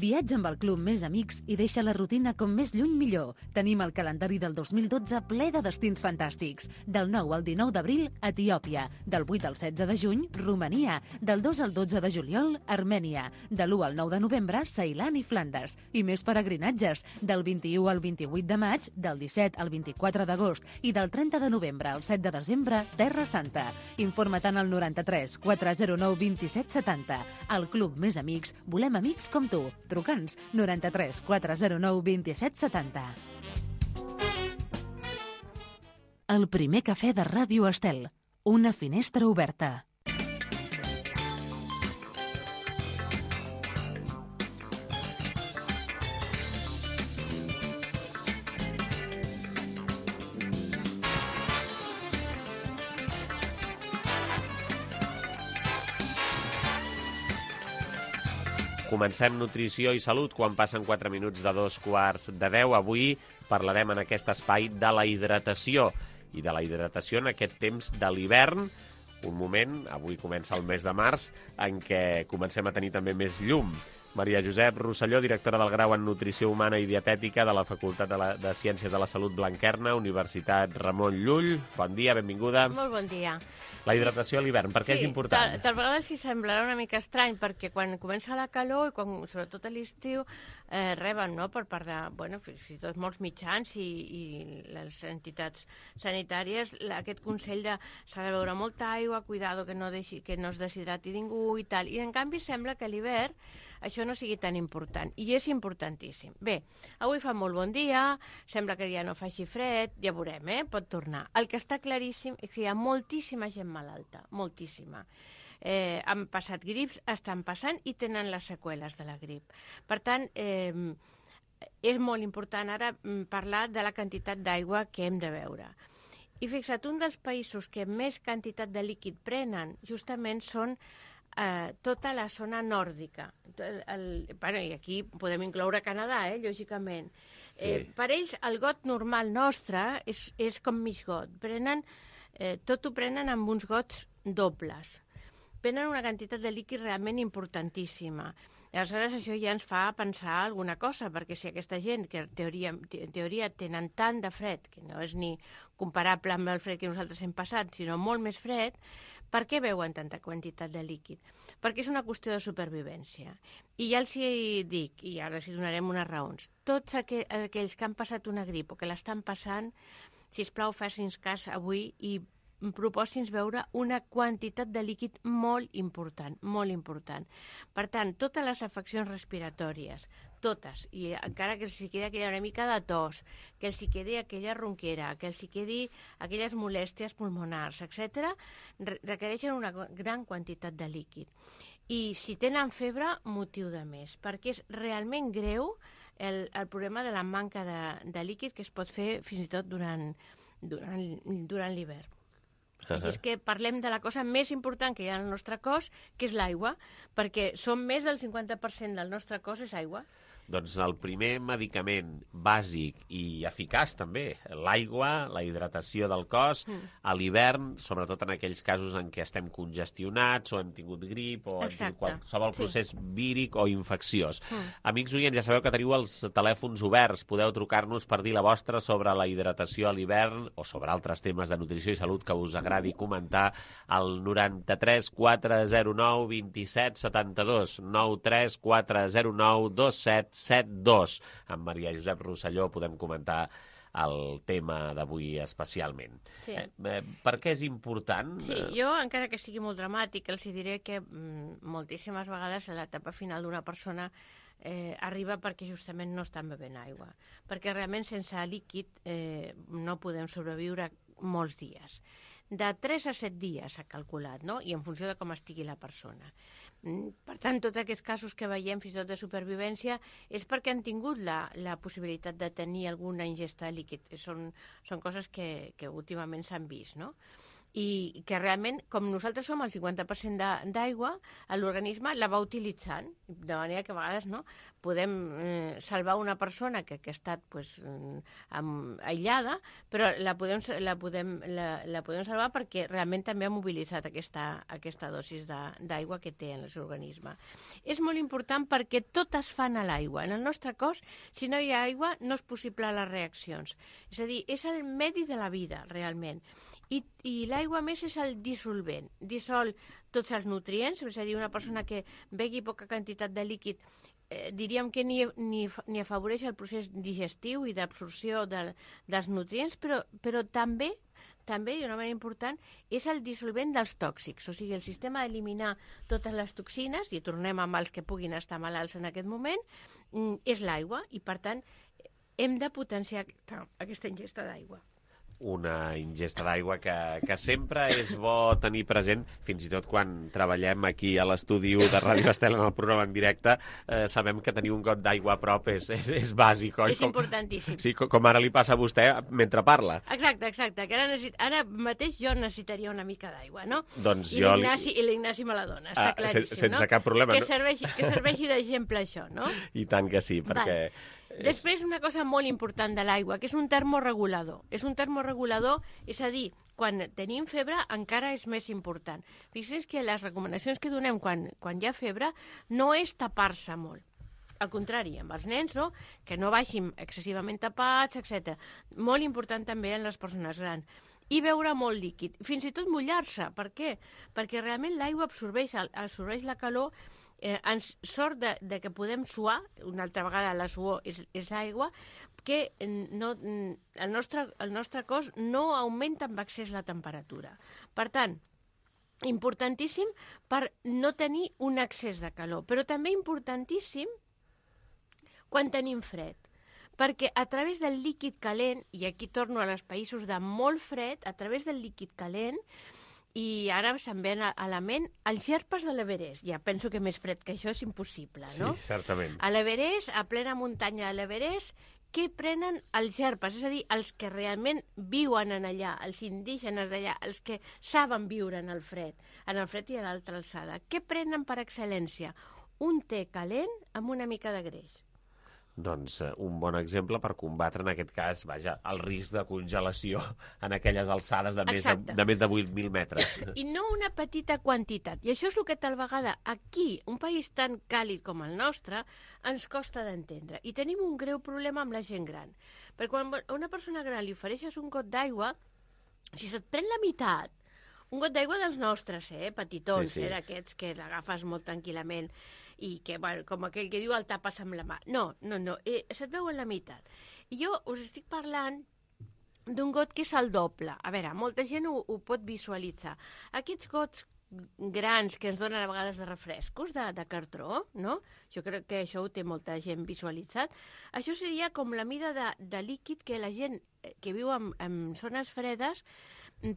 Speaker 5: Viatja amb el Club Més Amics i deixa la rutina com més lluny millor. Tenim el calendari del dos mil dotze ple de destins fantàstics. Del nou al dinou d'abril, Etiòpia. Del vuit al setze de juny, Romania. Del dos al dotze de juliol, Armènia. De l'u al nou de novembre, Ceilan i Flandes. I més peregrinatges. Del vint-i-u al vint-i-vuit de maig, del disset al vint-i-quatre d'agost i del trenta de novembre al set de desembre, Terra Santa. Informa-te'n al noranta-tres quatre zero nou vint set setanta. Al Club Més Amics volem amics com tu. Truca'ns noranta-tres quatre zero nou vint set setanta. El primer cafè de Ràdio Estel. Una finestra oberta.
Speaker 1: Comencem nutrició i salut quan passen quatre minuts de dos quarts de deu. Avui parlarem en aquest espai de la hidratació i de la hidratació en aquest temps de l'hivern, un moment, avui comença el mes de març, en què comencem a tenir també més llum. Maria Josep Rosselló, directora del grau en Nutrició Humana i Dietètica de la Facultat de, la, de Ciències de la Salut Blanquerna, Universitat Ramon Llull. Bon dia, benvinguda.
Speaker 18: Molt bon dia.
Speaker 1: La hidratació a l'hivern, per què
Speaker 18: sí,
Speaker 1: és important?
Speaker 18: Tal, tal vegada sí semblarà una mica estrany, perquè quan comença la calor, i quan, sobretot a l'estiu, eh, reben, no?, per part de, bueno, fins i tot molts mitjans i, i les entitats sanitàries, la, aquest consell de s'ha de beure molta aigua, cuidado que no, deixi, que no es deshidrati ningú i tal. I en canvi sembla que a l'hivern això no sigui tan important, i és importantíssim. Bé, avui fa molt bon dia, sembla que ja no faci fred, ja veurem, eh? Pot tornar. El que està claríssim és que hi ha moltíssima gent malalta, moltíssima. Eh, han passat grips, estan passant i tenen les seqüeles de la grip. Per tant, eh, és molt important ara parlar de la quantitat d'aigua que hem de beure. I fixa't, un dels països que més quantitat de líquid prenen justament són eh, tota la zona nòrdica. El, el, bueno, I aquí podem incloure Canadà, eh, lògicament. Sí. Eh, per ells, el got normal nostre és, és com mig got. Prenen, eh, tot ho prenen amb uns gots dobles. Prenen una quantitat de líquid realment importantíssima. I aleshores això ja ens fa pensar alguna cosa, perquè si aquesta gent, que en teoria, en teoria tenen tant de fred, que no és ni comparable amb el fred que nosaltres hem passat, sinó molt més fred, per què beuen tanta quantitat de líquid? Perquè és una qüestió de supervivència. I ja els hi dic, i ara els donarem unes raons, tots aqu aquells que han passat una grip o que l'estan passant, sisplau, facin cas avui i propòsins veure una quantitat de líquid molt important, molt important. Per tant, totes les afeccions respiratòries, totes, i encara que els hi quedi aquella una mica de tos, que els hi quedi aquella ronquera, que els hi quedi aquelles molèsties pulmonars, etcètera, requereixen una gran quantitat de líquid. I si tenen febre, motiu de més, perquè és realment greu el, el problema de la manca de, de líquid que es pot fer fins i tot durant, durant, durant l'hivern. Uh-huh. Així és que parlem de la cosa més important que hi ha al nostre cos, que és l'aigua, perquè som més del cinquanta per cent del nostre cos és aigua.
Speaker 1: Doncs el primer medicament bàsic i eficaç també, l'aigua, la hidratació del cos, mm. a l'hivern, sobretot en aquells casos en què estem congestionats o hem tingut grip o hem tingut qualsevol procés sí. víric o infecciós. Mm. Amics oients, ja sabeu que teniu els telèfons oberts, podeu trucar-nos per dir la vostra sobre la hidratació a l'hivern o sobre altres temes de nutrició i salut que us agradi comentar al noranta-tres quatre zero nou vint-i-set setanta-dos, nou tres quatre zero nou dos set set dos. Amb Maria Josep Rosselló podem comentar el tema d'avui especialment. Sí. Eh, per què és important?
Speaker 18: Sí, jo, encara que sigui molt dramàtic, els diré que mm, moltíssimes vegades a l'etapa final d'una persona eh, arriba perquè justament no estan bevent aigua. Perquè realment sense líquid eh, no podem sobreviure molts dies. De tres a set dies s'ha calculat, no? I en funció de com estigui la persona. Per tant, tots aquests casos que veiem fins i tot de supervivència és perquè han tingut la, la possibilitat de tenir alguna ingesta de líquid. Són, són coses que, que últimament s'han vist, no? I que realment, com nosaltres som el cinquanta per cent d'aigua, l'organisme la va utilitzant, de manera que a vegades no, podem eh, salvar una persona que, que ha estat pues, amb, aïllada, però la podem, la, podem, la, la podem salvar perquè realment també ha mobilitzat aquesta, aquesta dosis d'aigua que té en el seu organisme. És molt important perquè tot es fan a l'aigua. En el nostre cos, si no hi ha aigua, no és possible les reaccions. És a dir, és el medi de la vida, realment. I, i l'aigua, més, és el dissolvent. Dissol tots els nutrients, és a dir, una persona que begui poca quantitat de líquid, eh, diríem que ni, ni, ni afavoreix el procés digestiu i d'absorció de, dels nutrients, però, però també, també, i una manera important, és el dissolvent dels tòxics. O sigui, el sistema d'eliminar totes les toxines, i tornem amb els que puguin estar malalts en aquest moment, és l'aigua, i per tant hem de potenciar aquesta ingesta d'aigua.
Speaker 1: Una ingesta d'aigua que, que sempre és bo tenir present, fins i tot quan treballem aquí a l'estudi de Ràdio Estel en el programa en directe, eh, sabem que tenir un got d'aigua a prop és, és, és bàsic, oi?
Speaker 18: És com, importantíssim.
Speaker 1: Sí, com, com ara li passa a vostè mentre parla.
Speaker 18: Exacte, exacte, que ara, necessit, ara mateix jo necessitaria una mica d'aigua, no?
Speaker 1: Doncs
Speaker 18: I
Speaker 1: jo...
Speaker 18: l'Ignasi li... I me la dona, està ah, claríssim,
Speaker 1: sense
Speaker 18: no?
Speaker 1: Sense cap problema.
Speaker 18: Que serveixi, que serveixi d'exemple això, no?
Speaker 1: I tant que sí, perquè...
Speaker 18: Val. Després, una cosa molt important de l'aigua, que és un termoregulador. És un termoregulador, és a dir, quan tenim febre encara és més important. Fixeu que les recomanacions que donem quan, quan hi ha febre no és tapar-se molt. Al contrari, amb els nens, no? Que no vagin excessivament tapats, etcètera. Molt important també en les persones grans. I beure molt líquid, fins i tot mullar-se. Per què? Perquè realment l'aigua absorbeix, absorbeix la calor. Eh, ens sort de, de que podem suar, una altra vegada la suor és, és aigua, que no, el, nostre, el nostre cos no augmenta amb excés la temperatura. Per tant, importantíssim per no tenir un excés de calor, però també importantíssim quan tenim fred, perquè a través del líquid calent, i aquí torno als països de molt fred, a través del líquid calent, i ara se'm ven a la ment els Sherpas de l'Everest. Ja penso que més fred que això és impossible, no?
Speaker 1: Sí, certament.
Speaker 18: A l'Everest, a plena muntanya de l'Everest, què prenen els gerpes, és a dir, els que realment viuen en allà, els indígenes d'allà, els que saben viure en el fred, en el fred i a l'altra alçada. Què prenen per excel·lència? Un te calent amb una mica de greix.
Speaker 1: Doncs eh, un bon exemple per combatre, en aquest cas, vaja, el risc de congelació en aquelles alçades de més de, de, més de vuit mil metres.
Speaker 18: I no una petita quantitat. I això és el que tal vegada aquí, un país tan càlid com el nostre, ens costa d'entendre. I tenim un greu problema amb la gent gran. Perquè quan a una persona gran li ofereixes un got d'aigua, si se't pren la meitat, un got d'aigua dels nostres, eh, petitons, sí, sí. eh, d'aquests que l'agafes molt tranquil·lament, i que, bueno, com aquell que diu, el tapes amb la mà. No, no, no, eh, se't veu en la meitat. I jo us estic parlant d'un got que és el doble. A veure, molta gent ho, ho pot visualitzar. Aquests gots grans que ens donen a vegades de refrescos, de, de cartró, no? Jo crec que això ho té molta gent visualitzat. Això seria com la mida de, de líquid que la gent que viu en, en zones fredes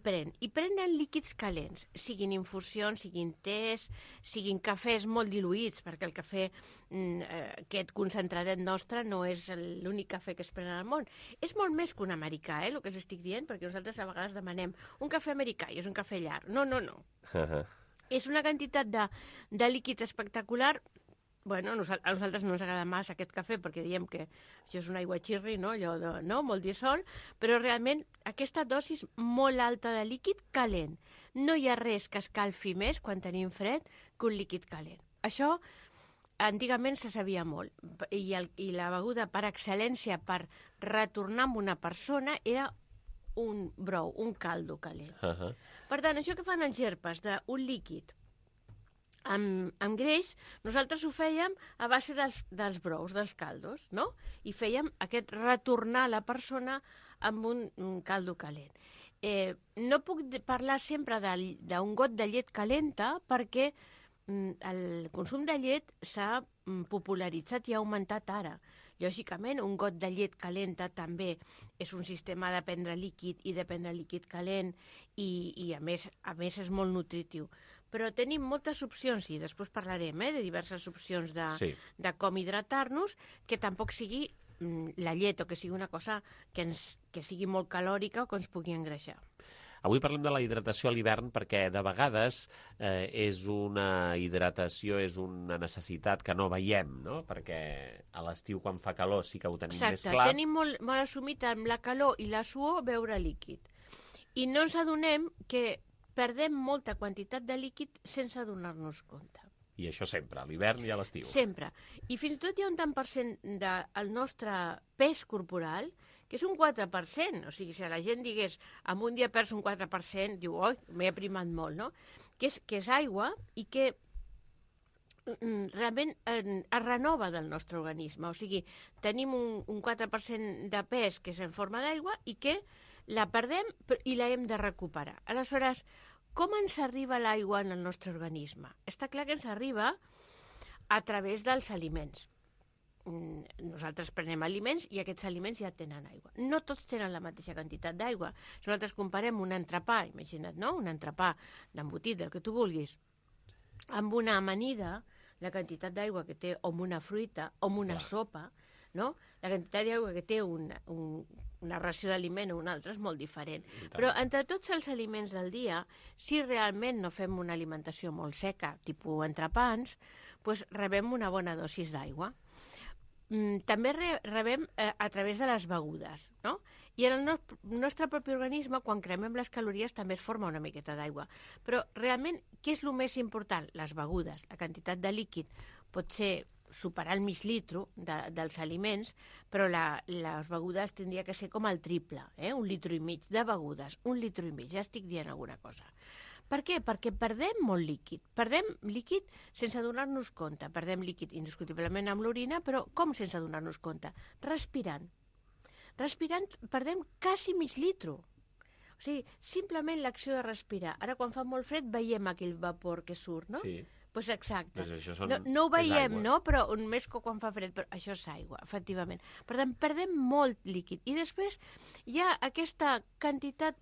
Speaker 18: pren. I prenen líquids calents, siguin infusions, siguin tés, siguin cafès molt diluïts, perquè el cafè, eh, aquest concentradet nostre, no és l'únic cafè que es pren al món. És molt més que un americà, eh, el que us estic dient, perquè nosaltres a vegades demanem un cafè americà i és un cafè llarg. No, no, no. Uh-huh. És una quantitat de, de líquid espectacular. Bueno, a nosaltres no ens agrada massa aquest cafè perquè diem que això és un aigua xirri, no? Allò de, no? Molt dissol, però realment aquesta dosis molt alta de líquid calent. No hi ha res que escalfi més quan tenim fred que un líquid calent. Això antigament se sabia molt i, el, i la beguda per excel·lència per retornar amb una persona era un brou, un caldo calent. Uh-huh. Per tant, això que fan els gerpes d'un líquid Amb, amb greix, nosaltres ho fèiem a base dels, dels brous, dels caldos, no? I fèiem aquest retornar la persona amb un, un caldo calent. Eh, no puc parlar sempre d'un got de llet calenta perquè mm, el consum de llet s'ha mm, popularitzat i ha augmentat ara. Lògicament, un got de llet calenta també és un sistema de prendre líquid i de prendre líquid calent i, i a, més, a més és molt nutritiu. Però tenim moltes opcions, i després parlarem eh, de diverses opcions de, sí. de com hidratar-nos, que tampoc sigui mm, la llet o que sigui una cosa que, ens, que sigui molt calòrica o que ens pugui engreixar.
Speaker 1: Avui parlem de la hidratació a l'hivern perquè de vegades eh, és una hidratació, és una necessitat que no veiem, no? Perquè a l'estiu quan fa calor sí que ho tenim
Speaker 18: Exacte,
Speaker 1: més clar.
Speaker 18: Tenim molt, molt assumit amb la calor i la suor beure líquid. I no ens adonem que perdem molta quantitat de líquid sense adonar-nos compte.
Speaker 1: I això sempre, a l'hivern i a l'estiu.
Speaker 18: Sempre. I fins i tot hi ha un tant per cent del nostre pes corporal que és un quatre per cent. O sigui, si la gent digués, en un dia perds un quatre per cent, diu, oi, m'he aprimat molt, no? Que és, que és aigua i que mm, realment eh, es renova del nostre organisme. O sigui, tenim un, un quatre per cent de pes que és en forma d'aigua i que la perdem i la hem de recuperar. Aleshores, com ens arriba l'aigua en el nostre organisme? Està clar que ens arriba a través dels aliments. Nosaltres prenem aliments i aquests aliments ja tenen aigua. No tots tenen la mateixa quantitat d'aigua. Si nosaltres comparem un entrepà, imagina't, no? Un entrepà d'embotit, del que tu vulguis, amb una amanida, la quantitat d'aigua que té, o amb una fruita, o amb una Clar. sopa, no? La quantitat d'aigua que té una, un, una ració d'aliment o una altra és molt diferent. Però entre tots els aliments del dia, si realment no fem una alimentació molt seca, tipus entrepans, doncs rebem una bona dosis d'aigua. Mm, també re, rebem eh, a través de les begudes, no? I en el no, nostre propi organisme, quan cremem les calories, també es forma una miqueta d'aigua. Però realment, què és el més important? Les begudes. La quantitat de líquid pot ser superar el mig litro de, dels aliments, però la, les begudes tindria que ser com el triple, eh? un litro i mig de begudes, un litro i mig, ja estic dient alguna cosa. Per què? Perquè perdem molt líquid. Perdem líquid sense donar-nos compte. Perdem líquid indiscutiblement amb l'orina, però com sense donar-nos compte? Respirant. Respirant perdem quasi mig litro. O sigui, simplement l'acció de respirar. Ara, quan fa molt fred, veiem aquell vapor que surt, no?
Speaker 1: Sí.
Speaker 18: Pues exacte.
Speaker 1: Pues són...
Speaker 18: no, no ho veiem, no? Però més que quan fa fred, però això és aigua, efectivament. Per tant, perdem molt líquid. I després hi ha aquesta quantitat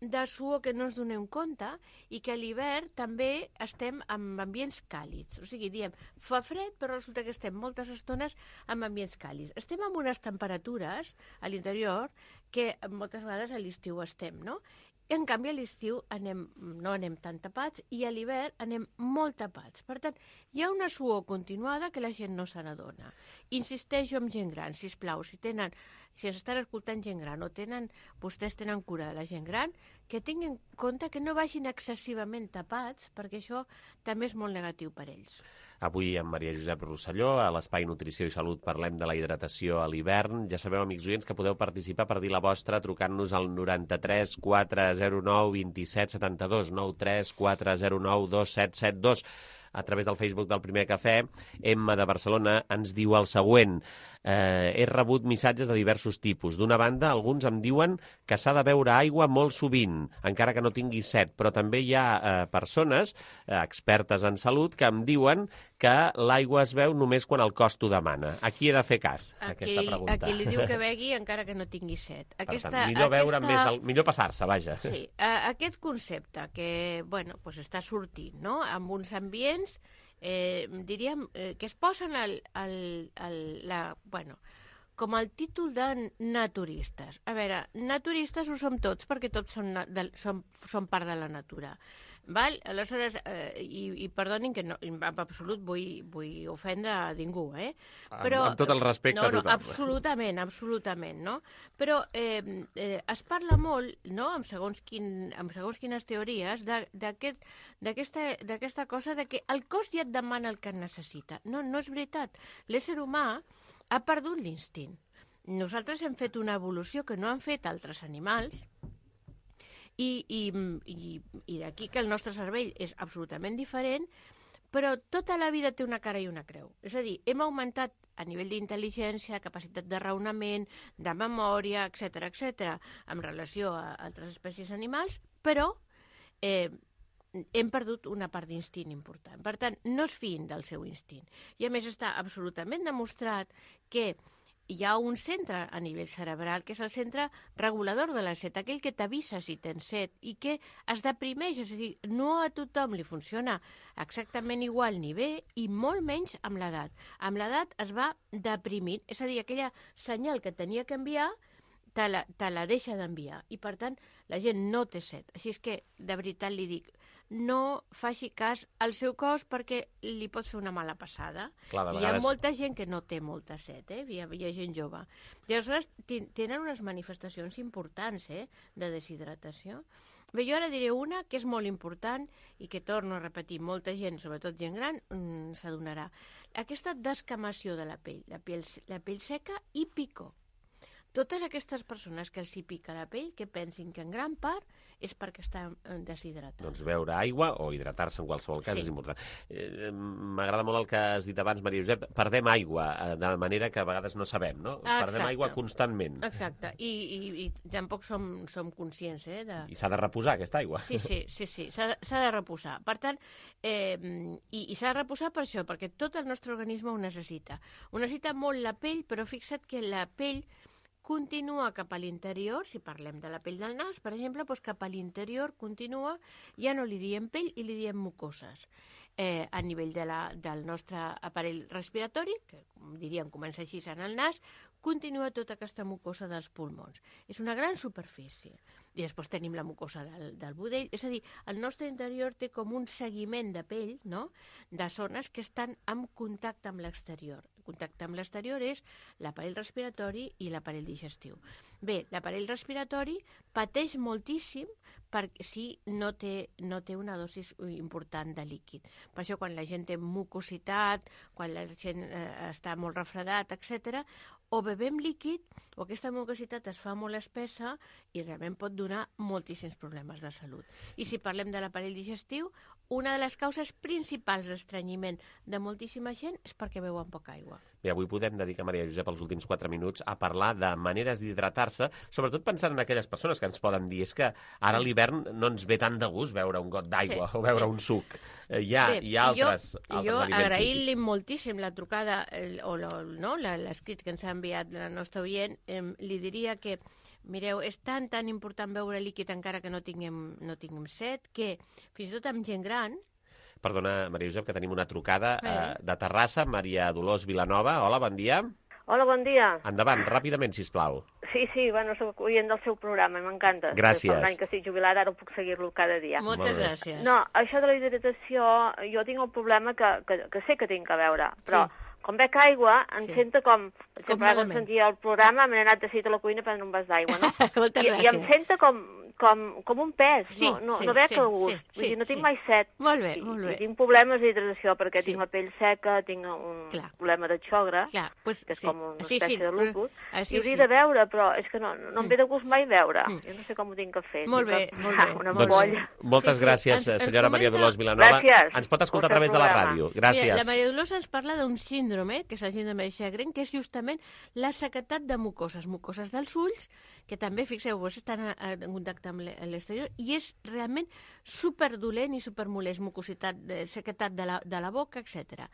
Speaker 18: de suor que no ens donem compte i que a l'hivern també estem en ambients càlids. O sigui, diem, fa fred, però resulta que estem moltes estones en ambients càlids. Estem amb unes temperatures a l'interior que moltes vegades a l'estiu estem, no? En canvi, a l'estiu anem, no anem tan tapats i a l'hivern anem molt tapats. Per tant, hi ha una suor continuada que la gent no se n'adona. Insisteixo amb gent gran, sisplau, si tenen, si estan escoltant gent gran o tenen, vostès tenen cura de la gent gran, que tinguin en compte que no vagin excessivament tapats, perquè això també és molt negatiu per ells.
Speaker 1: Avui amb Maria Josep Rosselló, a l'Espai Nutrició i Salut, parlem de la hidratació a l'hivern. Ja sabeu, amics oients, que podeu participar per dir la vostra trucant-nos al noranta-tres quatre zero nou vint set setanta-dos, nou tres quatre zero nou dos set set dos. A través del Facebook del Primer Cafè, Emma de Barcelona ens diu el següent. Eh, he rebut missatges de diversos tipus. D'una banda, alguns em diuen que s'ha de beure aigua molt sovint, encara que no tingui set, però també hi ha eh, persones, eh, expertes en salut, que em diuen que l'aigua es beu només quan el cos t'ho demana. A qui he de fer cas, a aquesta pregunta?
Speaker 18: A qui li diu que begui encara que no tingui set. Aquesta,
Speaker 1: per tant, millor beure
Speaker 18: aquesta...
Speaker 1: més, el... millor passar-se, vaja.
Speaker 18: Sí, uh, aquest concepte que, bueno, pues està sortint, no?, amb uns ambients, eh, diríem, eh, que es posen al, al, al, la, bueno, com el títol de naturistes. A veure, naturistes ho som tots, perquè tots som, de, som, som part de la natura. Val? Aleshores, eh, i, i perdonin que no, en absolut vull, vull ofendre a ningú, eh? Però,
Speaker 1: amb, amb tot el respecte
Speaker 18: no,
Speaker 1: a tothom.
Speaker 18: No, absolutament, absolutament, no? Però eh, eh, es parla molt, no?, amb segons, quin, amb segons quines teories, d'aquesta aquest, cosa de que el cos ja et demana el que necessita. No, no és veritat. L'ésser humà ha perdut l'instint. Nosaltres hem fet una evolució que no han fet altres animals, i, i, i, i d'aquí que el nostre cervell és absolutament diferent, però tota la vida té una cara i una creu. És a dir, hem augmentat a nivell d'intel·ligència, capacitat de raonament, de memòria, etcètera, etcètera, en relació a altres espècies animals, però eh, hem perdut una part d'instint important. Per tant, no es fiïn del seu instint. I a més està absolutament demostrat que hi ha un centre a nivell cerebral, que és el centre regulador de la set, aquell que t'avisa si tens set i que es deprimeix, és a dir, no a tothom li funciona exactament igual ni bé i molt menys amb l'edat. Amb l'edat es va deprimint, és a dir, aquella senyal que tenia que enviar te la, te la deixa d'enviar i, per tant, la gent no té set. Així és que, de veritat li dic, no faci cas al seu cos perquè li pot fer una mala passada.
Speaker 1: Clar,
Speaker 18: vegades... Hi ha molta gent que no té molta set, eh? hi, ha, hi ha gent jove. I aleshores tenen unes manifestacions importants eh? de deshidratació. Bé, jo ara diré una que és molt important i que torno a repetir, molta gent, sobretot gent gran, mmm, s'adonarà. Aquesta descamació de la pell, la pell, la pell seca i picor. Totes aquestes persones que els hi pica la pell, que pensin que en gran part és perquè estan deshidratats.
Speaker 1: Doncs beure aigua o hidratar-se en qualsevol cas sí. és important. Eh, M'agrada molt el que has dit abans, Maria Josep. Perdem aigua eh, de manera que a vegades no sabem, no?
Speaker 18: Exacte.
Speaker 1: Perdem aigua constantment.
Speaker 18: Exacte. I, i, i tampoc som, som conscients, eh? De...
Speaker 1: I s'ha de reposar, aquesta aigua.
Speaker 18: Sí, sí, sí, sí. s'ha de, de reposar. Per tant, eh, i, i s'ha de reposar per això, perquè tot el nostre organisme ho necessita. Ho necessita molt la pell, però fixa't que la pell continua cap a l'interior, si parlem de la pell del nas, per exemple, doncs cap a l'interior continua, ja no li diem pell i li diem mucoses. Eh, a nivell de la, del nostre aparell respiratori, que diríem comença així en el nas, continua tota aquesta mucosa dels pulmons. És una gran superfície. I després tenim la mucosa del, del budell. És a dir, el nostre interior té com un seguiment de pell, no?, de zones que estan en contacte amb l'exterior. El contacte amb l'exterior és l'aparell respiratori i l'aparell digestiu. Bé, l'aparell respiratori pateix moltíssim perquè si no té, no té una dosis important de líquid. Per això quan la gent té mucositat, quan la gent eh, està molt refredat, etcètera, o bevem líquid o aquesta mucositat es fa molt espessa i realment pot donar moltíssims problemes de salut. I si parlem de l'aparell digestiu, una de les causes principals d'estrenyiment de moltíssima gent és perquè beuen poca aigua.
Speaker 1: Bé, avui podem dedicar, Maria Josep, els últims quatre minuts a parlar de maneres d'hidratar-se, sobretot pensant en aquelles persones que ens poden dir és que ara a l'hivern no ens ve tant de gust beure un got d'aigua sí, o beure sí. un suc. Eh, hi, ha, Bé, hi ha altres, jo, altres
Speaker 18: jo
Speaker 1: aliments
Speaker 18: agrair-li moltíssim la trucada el, o l'escrit no, que ens ha enviat la nostra oient, eh, li diria que Mireu, és tan, tan important beure líquid encara que no tinguem, no tinguem set, que fins i tot amb gent gran...
Speaker 1: Perdona, Maria Josep, que tenim una trucada
Speaker 18: Eh.
Speaker 1: eh, de Terrassa, Maria Dolors Vilanova. Hola, bon dia.
Speaker 19: Hola, bon dia.
Speaker 1: Endavant, ràpidament, sisplau.
Speaker 19: Sí, sí, bueno, soc oient del seu programa, m'encanta.
Speaker 1: Gràcies.
Speaker 19: Fa un any que estic jubilada, ara puc seguir-lo cada dia.
Speaker 18: Moltes
Speaker 1: Molt bé.
Speaker 18: gràcies.
Speaker 19: No, això de la hidratació, jo tinc el problema que, que, que sé que tinc que veure, però
Speaker 18: Sí.
Speaker 19: quan bec aigua em
Speaker 18: Sí.
Speaker 19: sento com... Per
Speaker 18: Com
Speaker 19: exemple, ara quan
Speaker 18: malament.
Speaker 19: sentia el programa m'he anat de cita a la cuina a prendre un vas d'aigua, no?
Speaker 18: Moltes
Speaker 19: I, I em
Speaker 18: gràcies.
Speaker 19: sento com, com, com un pes,
Speaker 18: Sí,
Speaker 19: no, no,
Speaker 18: sí,
Speaker 19: no bec
Speaker 18: sí,
Speaker 19: el gust.
Speaker 18: sí,
Speaker 19: Vull dir, no
Speaker 18: sí,
Speaker 19: tinc
Speaker 18: sí.
Speaker 19: mai set.
Speaker 18: Molt bé,
Speaker 19: I,
Speaker 18: molt bé.
Speaker 19: I tinc problemes d'hidratació perquè
Speaker 18: Sí.
Speaker 19: tinc la pell seca, tinc un
Speaker 18: Clar.
Speaker 19: problema de xogra,
Speaker 18: Clar, pues,
Speaker 19: que és
Speaker 18: sí.
Speaker 19: com una
Speaker 18: Sí,
Speaker 19: espècie
Speaker 18: sí,
Speaker 19: de
Speaker 18: però-
Speaker 19: lupus,
Speaker 18: ah, sí,
Speaker 19: i hauria
Speaker 18: sí.
Speaker 19: de veure, però és que no, no em
Speaker 18: Mm.
Speaker 19: ve de gust mai veure.
Speaker 18: Mm.
Speaker 19: Jo no sé com ho tinc que fer.
Speaker 18: Molt
Speaker 19: tinc
Speaker 18: bé,
Speaker 19: que-
Speaker 18: molt bé.
Speaker 19: Una
Speaker 1: Doncs,
Speaker 19: ampolla.
Speaker 1: moltes
Speaker 18: Sí, sí.
Speaker 1: gràcies,
Speaker 18: Ens- ens
Speaker 1: senyora Maria
Speaker 18: comenta-
Speaker 1: Dolors Vilanova.
Speaker 19: Gràcies.
Speaker 1: Ens pot escoltar a
Speaker 19: Pel
Speaker 1: través de la
Speaker 19: programa.
Speaker 1: ràdio.
Speaker 18: Mira,
Speaker 1: Gràcies.
Speaker 18: la Maria Dolors ens parla d'un síndrome, que és el síndrome de Sjögren, que és justament la sequetat de mucoses, mucoses dels ulls, que també, fixeu-vos, estan a- a- en contacte amb l'e- l'exterior, i és realment superdolent i supermolest, mucositat, de, sequetat de la, de la boca, etcètera.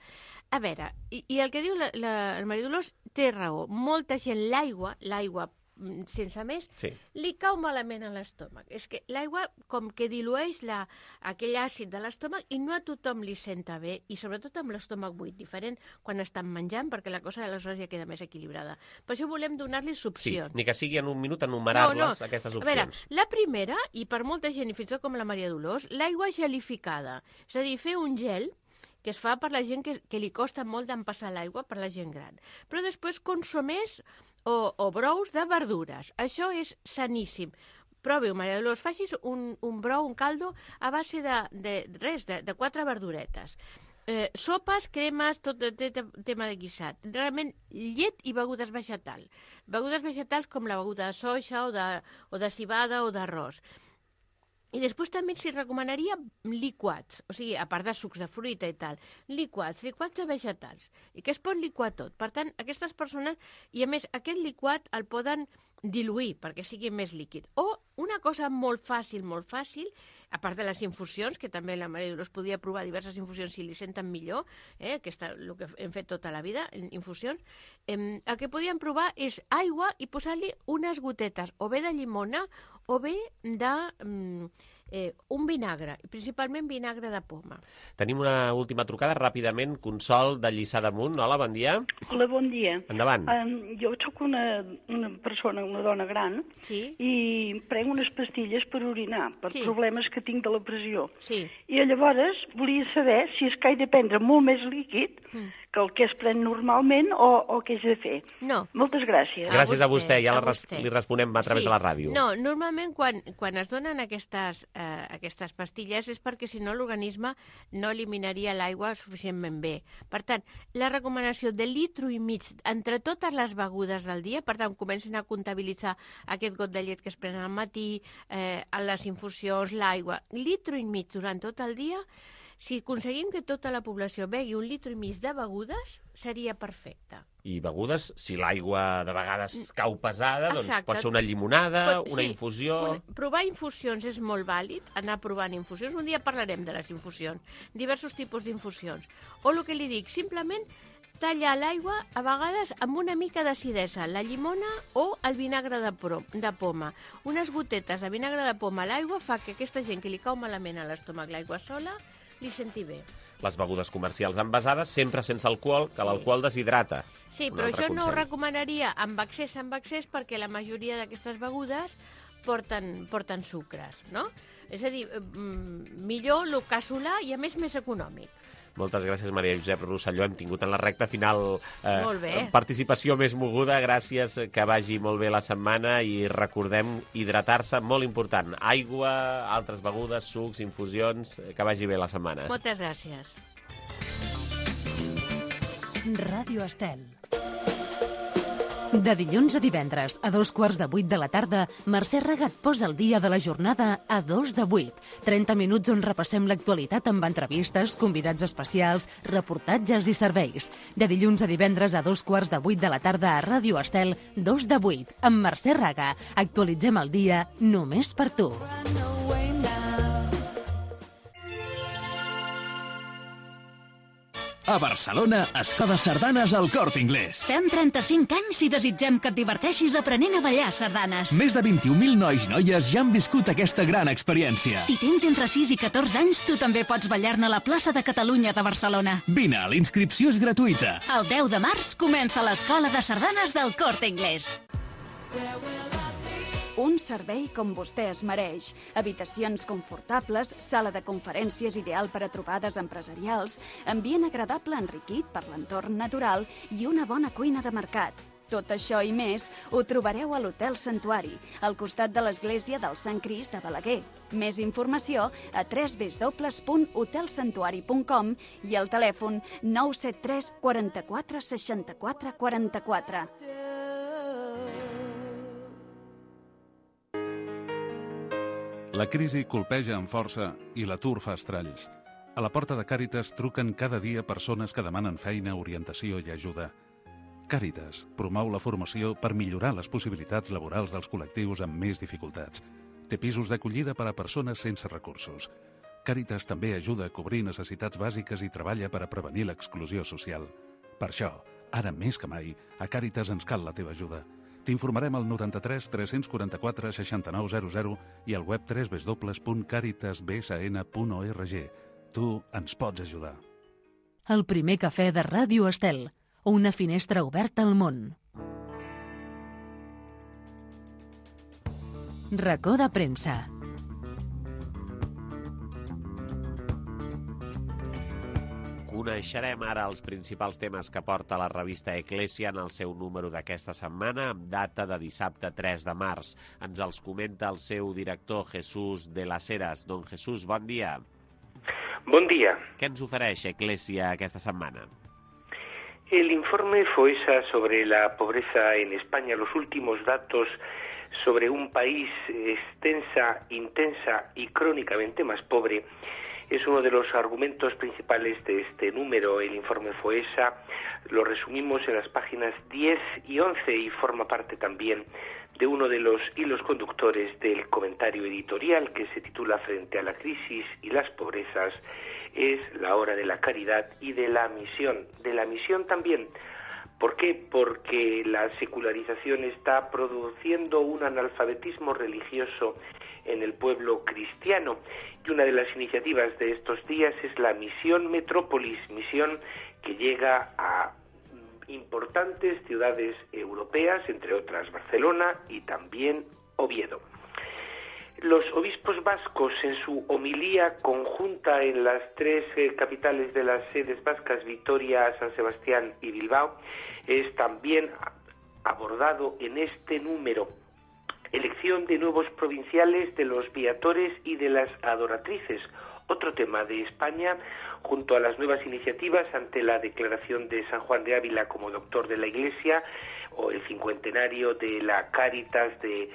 Speaker 18: A veure, i, i el que diu la, la, la Maria Dolors té raó. Molta gent, l'aigua, l'aigua mm, sense més,
Speaker 1: Sí.
Speaker 18: li cau malament a l'estómac. És que l'aigua com que dilueix la, aquell àcid de l'estómac i no a tothom li senta bé, i sobretot amb l'estómac buit, diferent quan estan menjant, perquè la cosa aleshores ja queda més equilibrada. Per això volem donar-li
Speaker 1: Sí,
Speaker 18: opcions.
Speaker 1: ni que sigui en un minut enumerar-les,
Speaker 18: No, no.
Speaker 1: aquestes
Speaker 18: A veure,
Speaker 1: opcions.
Speaker 18: la primera, i per molta gent, i fins i tot com la Maria Dolors, l'aigua gelificada. És a dir, fer un gel que es fa per la gent que, que li costa molt d'empassar l'aigua, per la gent gran. Però després consumés o, o brous de verdures. Això és saníssim. Provi-ho, Maria Dolors, facis un, un brou, un caldo a base de, de res, de, de quatre verduretes. Eh, sopes, cremes, tot el te, te, tema de guisat. Realment, llet i begudes vegetals. Begudes vegetals com la beguda de soja o de, o de cibada o d'arròs. I després també s'hi recomanaria liquats, o sigui, a part de sucs de fruita i tal, liquats, liquats de vegetals, i que es pot liquar tot. Per tant, aquestes persones, i a més, aquest liquat el poden diluir perquè sigui més líquid. O una cosa molt fàcil, molt fàcil, a part de les infusions, que també la Maria Dolors podia provar diverses infusions si li senten millor, eh, que és el que hem fet tota la vida, infusions, eh, el que podien provar és aigua i posar-li unes gotetes, o bé de llimona, o bé de mm, eh, un vinagre, principalment vinagre de poma.
Speaker 1: Tenim una última trucada, ràpidament. Consol de Lliçà d'Amunt. Hola, bon dia.
Speaker 20: Hola, bon dia.
Speaker 1: Endavant.
Speaker 20: Um, jo sóc una, una persona, una dona gran,
Speaker 18: sí?
Speaker 20: i prenc unes pastilles per orinar, per
Speaker 18: Sí.
Speaker 20: problemes que tinc de la pressió.
Speaker 18: Sí.
Speaker 20: I llavors volia saber si és que he de prendre molt més líquid
Speaker 18: Mm.
Speaker 20: que el que es pren normalment o, o què he de fer.
Speaker 18: No.
Speaker 20: Moltes gràcies.
Speaker 1: Gràcies a vostè, ja
Speaker 18: a
Speaker 1: la res
Speaker 18: vostè.
Speaker 1: li responem a través
Speaker 18: Sí.
Speaker 1: de la ràdio.
Speaker 18: No, normalment quan, quan es donen aquestes, eh, aquestes pastilles és perquè si no l'organisme no eliminaria l'aigua suficientment bé. Per tant, la recomanació de litro i mig entre totes les begudes del dia, per tant, comencin a comptabilitzar aquest got de llet que es prenen al matí, eh, les infusions, l'aigua, litro i mig durant tot el dia. Si aconseguim que tota la població begui un litro i mig de begudes, seria perfecte.
Speaker 1: I begudes, si l'aigua de vegades cau pesada, doncs
Speaker 18: Exacte.
Speaker 1: pot ser una llimonada,
Speaker 18: Pot-
Speaker 1: una
Speaker 18: sí.
Speaker 1: infusió...
Speaker 18: Una- Provar infusions és molt vàlid, anar provant infusions. Un dia parlarem de les infusions, diversos tipus d'infusions. O el que li dic, simplement tallar l'aigua a vegades amb una mica d'acidesa, la llimona o el vinagre de, pro, de poma. Unes gotetes de vinagre de poma a l'aigua fa que aquesta gent que li cau malament a l'estómac l'aigua sola li senti bé.
Speaker 1: Les begudes comercials envasades, sempre sense alcohol, que l'alcohol deshidrata.
Speaker 18: Sí,
Speaker 1: Un
Speaker 18: però
Speaker 1: altre
Speaker 18: això no ho
Speaker 1: consell.
Speaker 18: recomanaria amb excés, amb excés, perquè la majoria d'aquestes begudes porten, porten sucres, no? És a dir, mm, millor el casolà i a més més econòmic.
Speaker 1: Moltes gràcies, Maria Josep Rosselló. Hem tingut en la recta final eh,
Speaker 18: Molt bé.
Speaker 1: participació més moguda. Gràcies, que vagi molt bé la setmana i recordem hidratar-se, molt important. Aigua, altres begudes, sucs, infusions, que vagi bé la setmana.
Speaker 18: Moltes gràcies.
Speaker 5: Ràdio Estel. De dilluns a divendres, a dos quarts de vuit de la tarda, Mercè Raga et posa el dia de la jornada a dos de vuit. trenta minuts on repassem l'actualitat amb entrevistes, convidats especials, reportatges i serveis. De dilluns a divendres a dos quarts de vuit de la tarda a Ràdio Estel, dos de vuit, amb Mercè Raga. Actualitzem el dia només per tu.
Speaker 9: A Barcelona, Escoda Sardanes al Corte Inglés.
Speaker 10: Fem trenta-cinc anys i desitgem que et diverteixis aprenent a ballar sardanes.
Speaker 9: Més de vint-i-un mil nois i noies ja han viscut aquesta gran experiència.
Speaker 10: Si tens entre sis i catorze anys, tu també pots ballar-ne a la plaça de Catalunya de Barcelona.
Speaker 9: Vine, la inscripció és gratuïta.
Speaker 10: El deu de març comença l'Escola de Sardanes del Corte Inglés.
Speaker 8: Un servei com vostè es mereix. Habitacions confortables, sala de conferències ideal per a trobades empresarials, ambient agradable enriquit per l'entorn natural i una bona cuina de mercat. Tot això i més ho trobareu a l'Hotel Santuari, al costat de l'església del Sant Crist de Balaguer. Més informació a w w w punt hotel santuari punt com i al telèfon nou set tres quaranta-quatre seixanta-quatre quaranta-quatre.
Speaker 21: La crisi colpeja amb força i l'atur fa estralls. A la porta de Càritas truquen cada dia persones que demanen feina, orientació i ajuda. Càritas promou la formació per millorar les possibilitats laborals dels col·lectius amb més dificultats. Té pisos d'acollida per a persones sense recursos. Càritas també ajuda a cobrir necessitats bàsiques i treballa per a prevenir l'exclusió social. Per això, ara més que mai, a Càritas ens cal la teva ajuda. T'informarem al noranta-tres tres quaranta-quatre seixanta-nou zero zero i al web w w w punt caritas b s n punt org. Tu ens pots ajudar.
Speaker 5: El primer cafè de Ràdio Estel, una finestra oberta al món. Racó de premsa.
Speaker 1: Coneixerem ara els principals temes que porta la revista Eclésia en el seu número d'aquesta setmana, amb data de dissabte tres de març. Ens els comenta el seu director, Jesús de las Heras. Don Jesús, bon dia.
Speaker 22: Bon dia.
Speaker 1: Què ens ofereix Eclésia aquesta setmana?
Speaker 22: El informe FOESA sobre la pobreza en España, los últimos datos sobre un país extensa, intensa y crónicamente más pobre, es uno de los argumentos principales de este número. El informe FOESA lo resumimos en las páginas diez y once y forma parte también de uno de los hilos conductores del comentario editorial que se titula Frente a la crisis y las pobrezas, es la hora de la caridad y de la misión. De la misión también. ¿Por qué? Porque la secularización está produciendo un analfabetismo religioso en el pueblo cristiano. Y una de las iniciativas de estos días es la Misión Metrópolis, misión que llega a importantes ciudades europeas, entre otras Barcelona y también Oviedo. Los obispos vascos, en su homilía conjunta en las tres eh, capitales de las sedes vascas, Vitoria, San Sebastián y Bilbao, es también abordado en este número. Elección de nuevos provinciales, de los viatores y de las adoratrices. Otro tema de España, junto a las nuevas iniciativas ante la declaración de San Juan de Ávila como doctor de la Iglesia, o el cincuentenario de la Cáritas de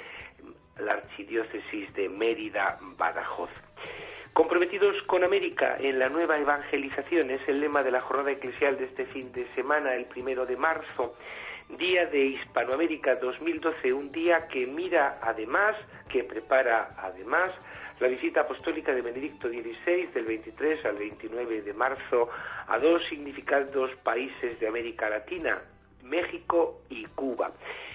Speaker 22: la Archidiócesis de Mérida-Badajoz. Comprometidos con América en la nueva evangelización es el lema de la jornada eclesial de este fin de semana, el primero de marzo. Día de Hispanoamérica dos mil doce, un día que mira además, que prepara además la visita apostólica de Benedicto dieciséis del veintitrés al veintinueve de marzo a dos significados países de América Latina, México y Cuba.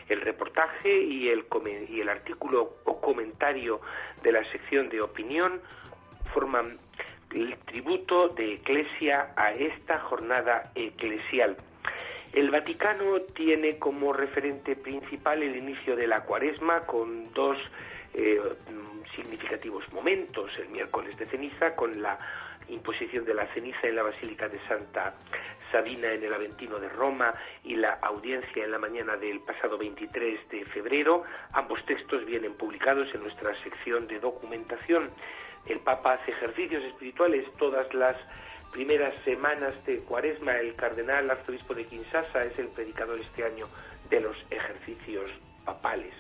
Speaker 22: El reportaje y el, y el artículo o comentario de la sección de opinión forman el tributo de Eclesia a esta jornada eclesial. El Vaticano tiene como referente principal el inicio de la Cuaresma con dos eh, significativos momentos. El miércoles de ceniza con la imposición de la ceniza en la Basílica de Santa Sabina en el Aventino de Roma y la audiencia en la mañana del pasado veintitrés de febrero. Ambos textos vienen publicados en nuestra sección de documentación. El Papa hace ejercicios espirituales todas las primeras semanas de Cuaresma. El cardenal arzobispo de Kinshasa es el predicador este año de los ejercicios papales.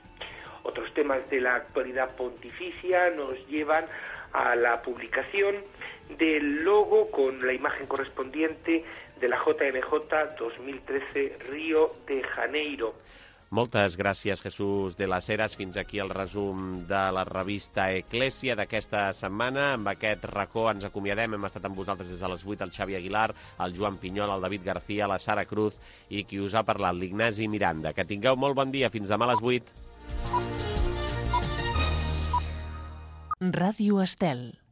Speaker 22: Otros temas de la actualidad pontificia nos llevan a la publicación del logo con la imagen correspondiente de la J M J dos mil trece Río de Janeiro.
Speaker 1: Moltes gràcies, Jesús de las Heras. Fins aquí el resum de la revista Eclèsia d'aquesta setmana. Amb aquest racó ens acomiadem. Hem estat amb vosaltres des de les vuit el Xavi Aguilar, el Joan Pinyol, el David García, la Sara Cruz i qui us ha parlat, l'Ignasi Miranda. Que tingueu molt bon dia. Fins demà a les vuit.
Speaker 5: Ràdio Estel.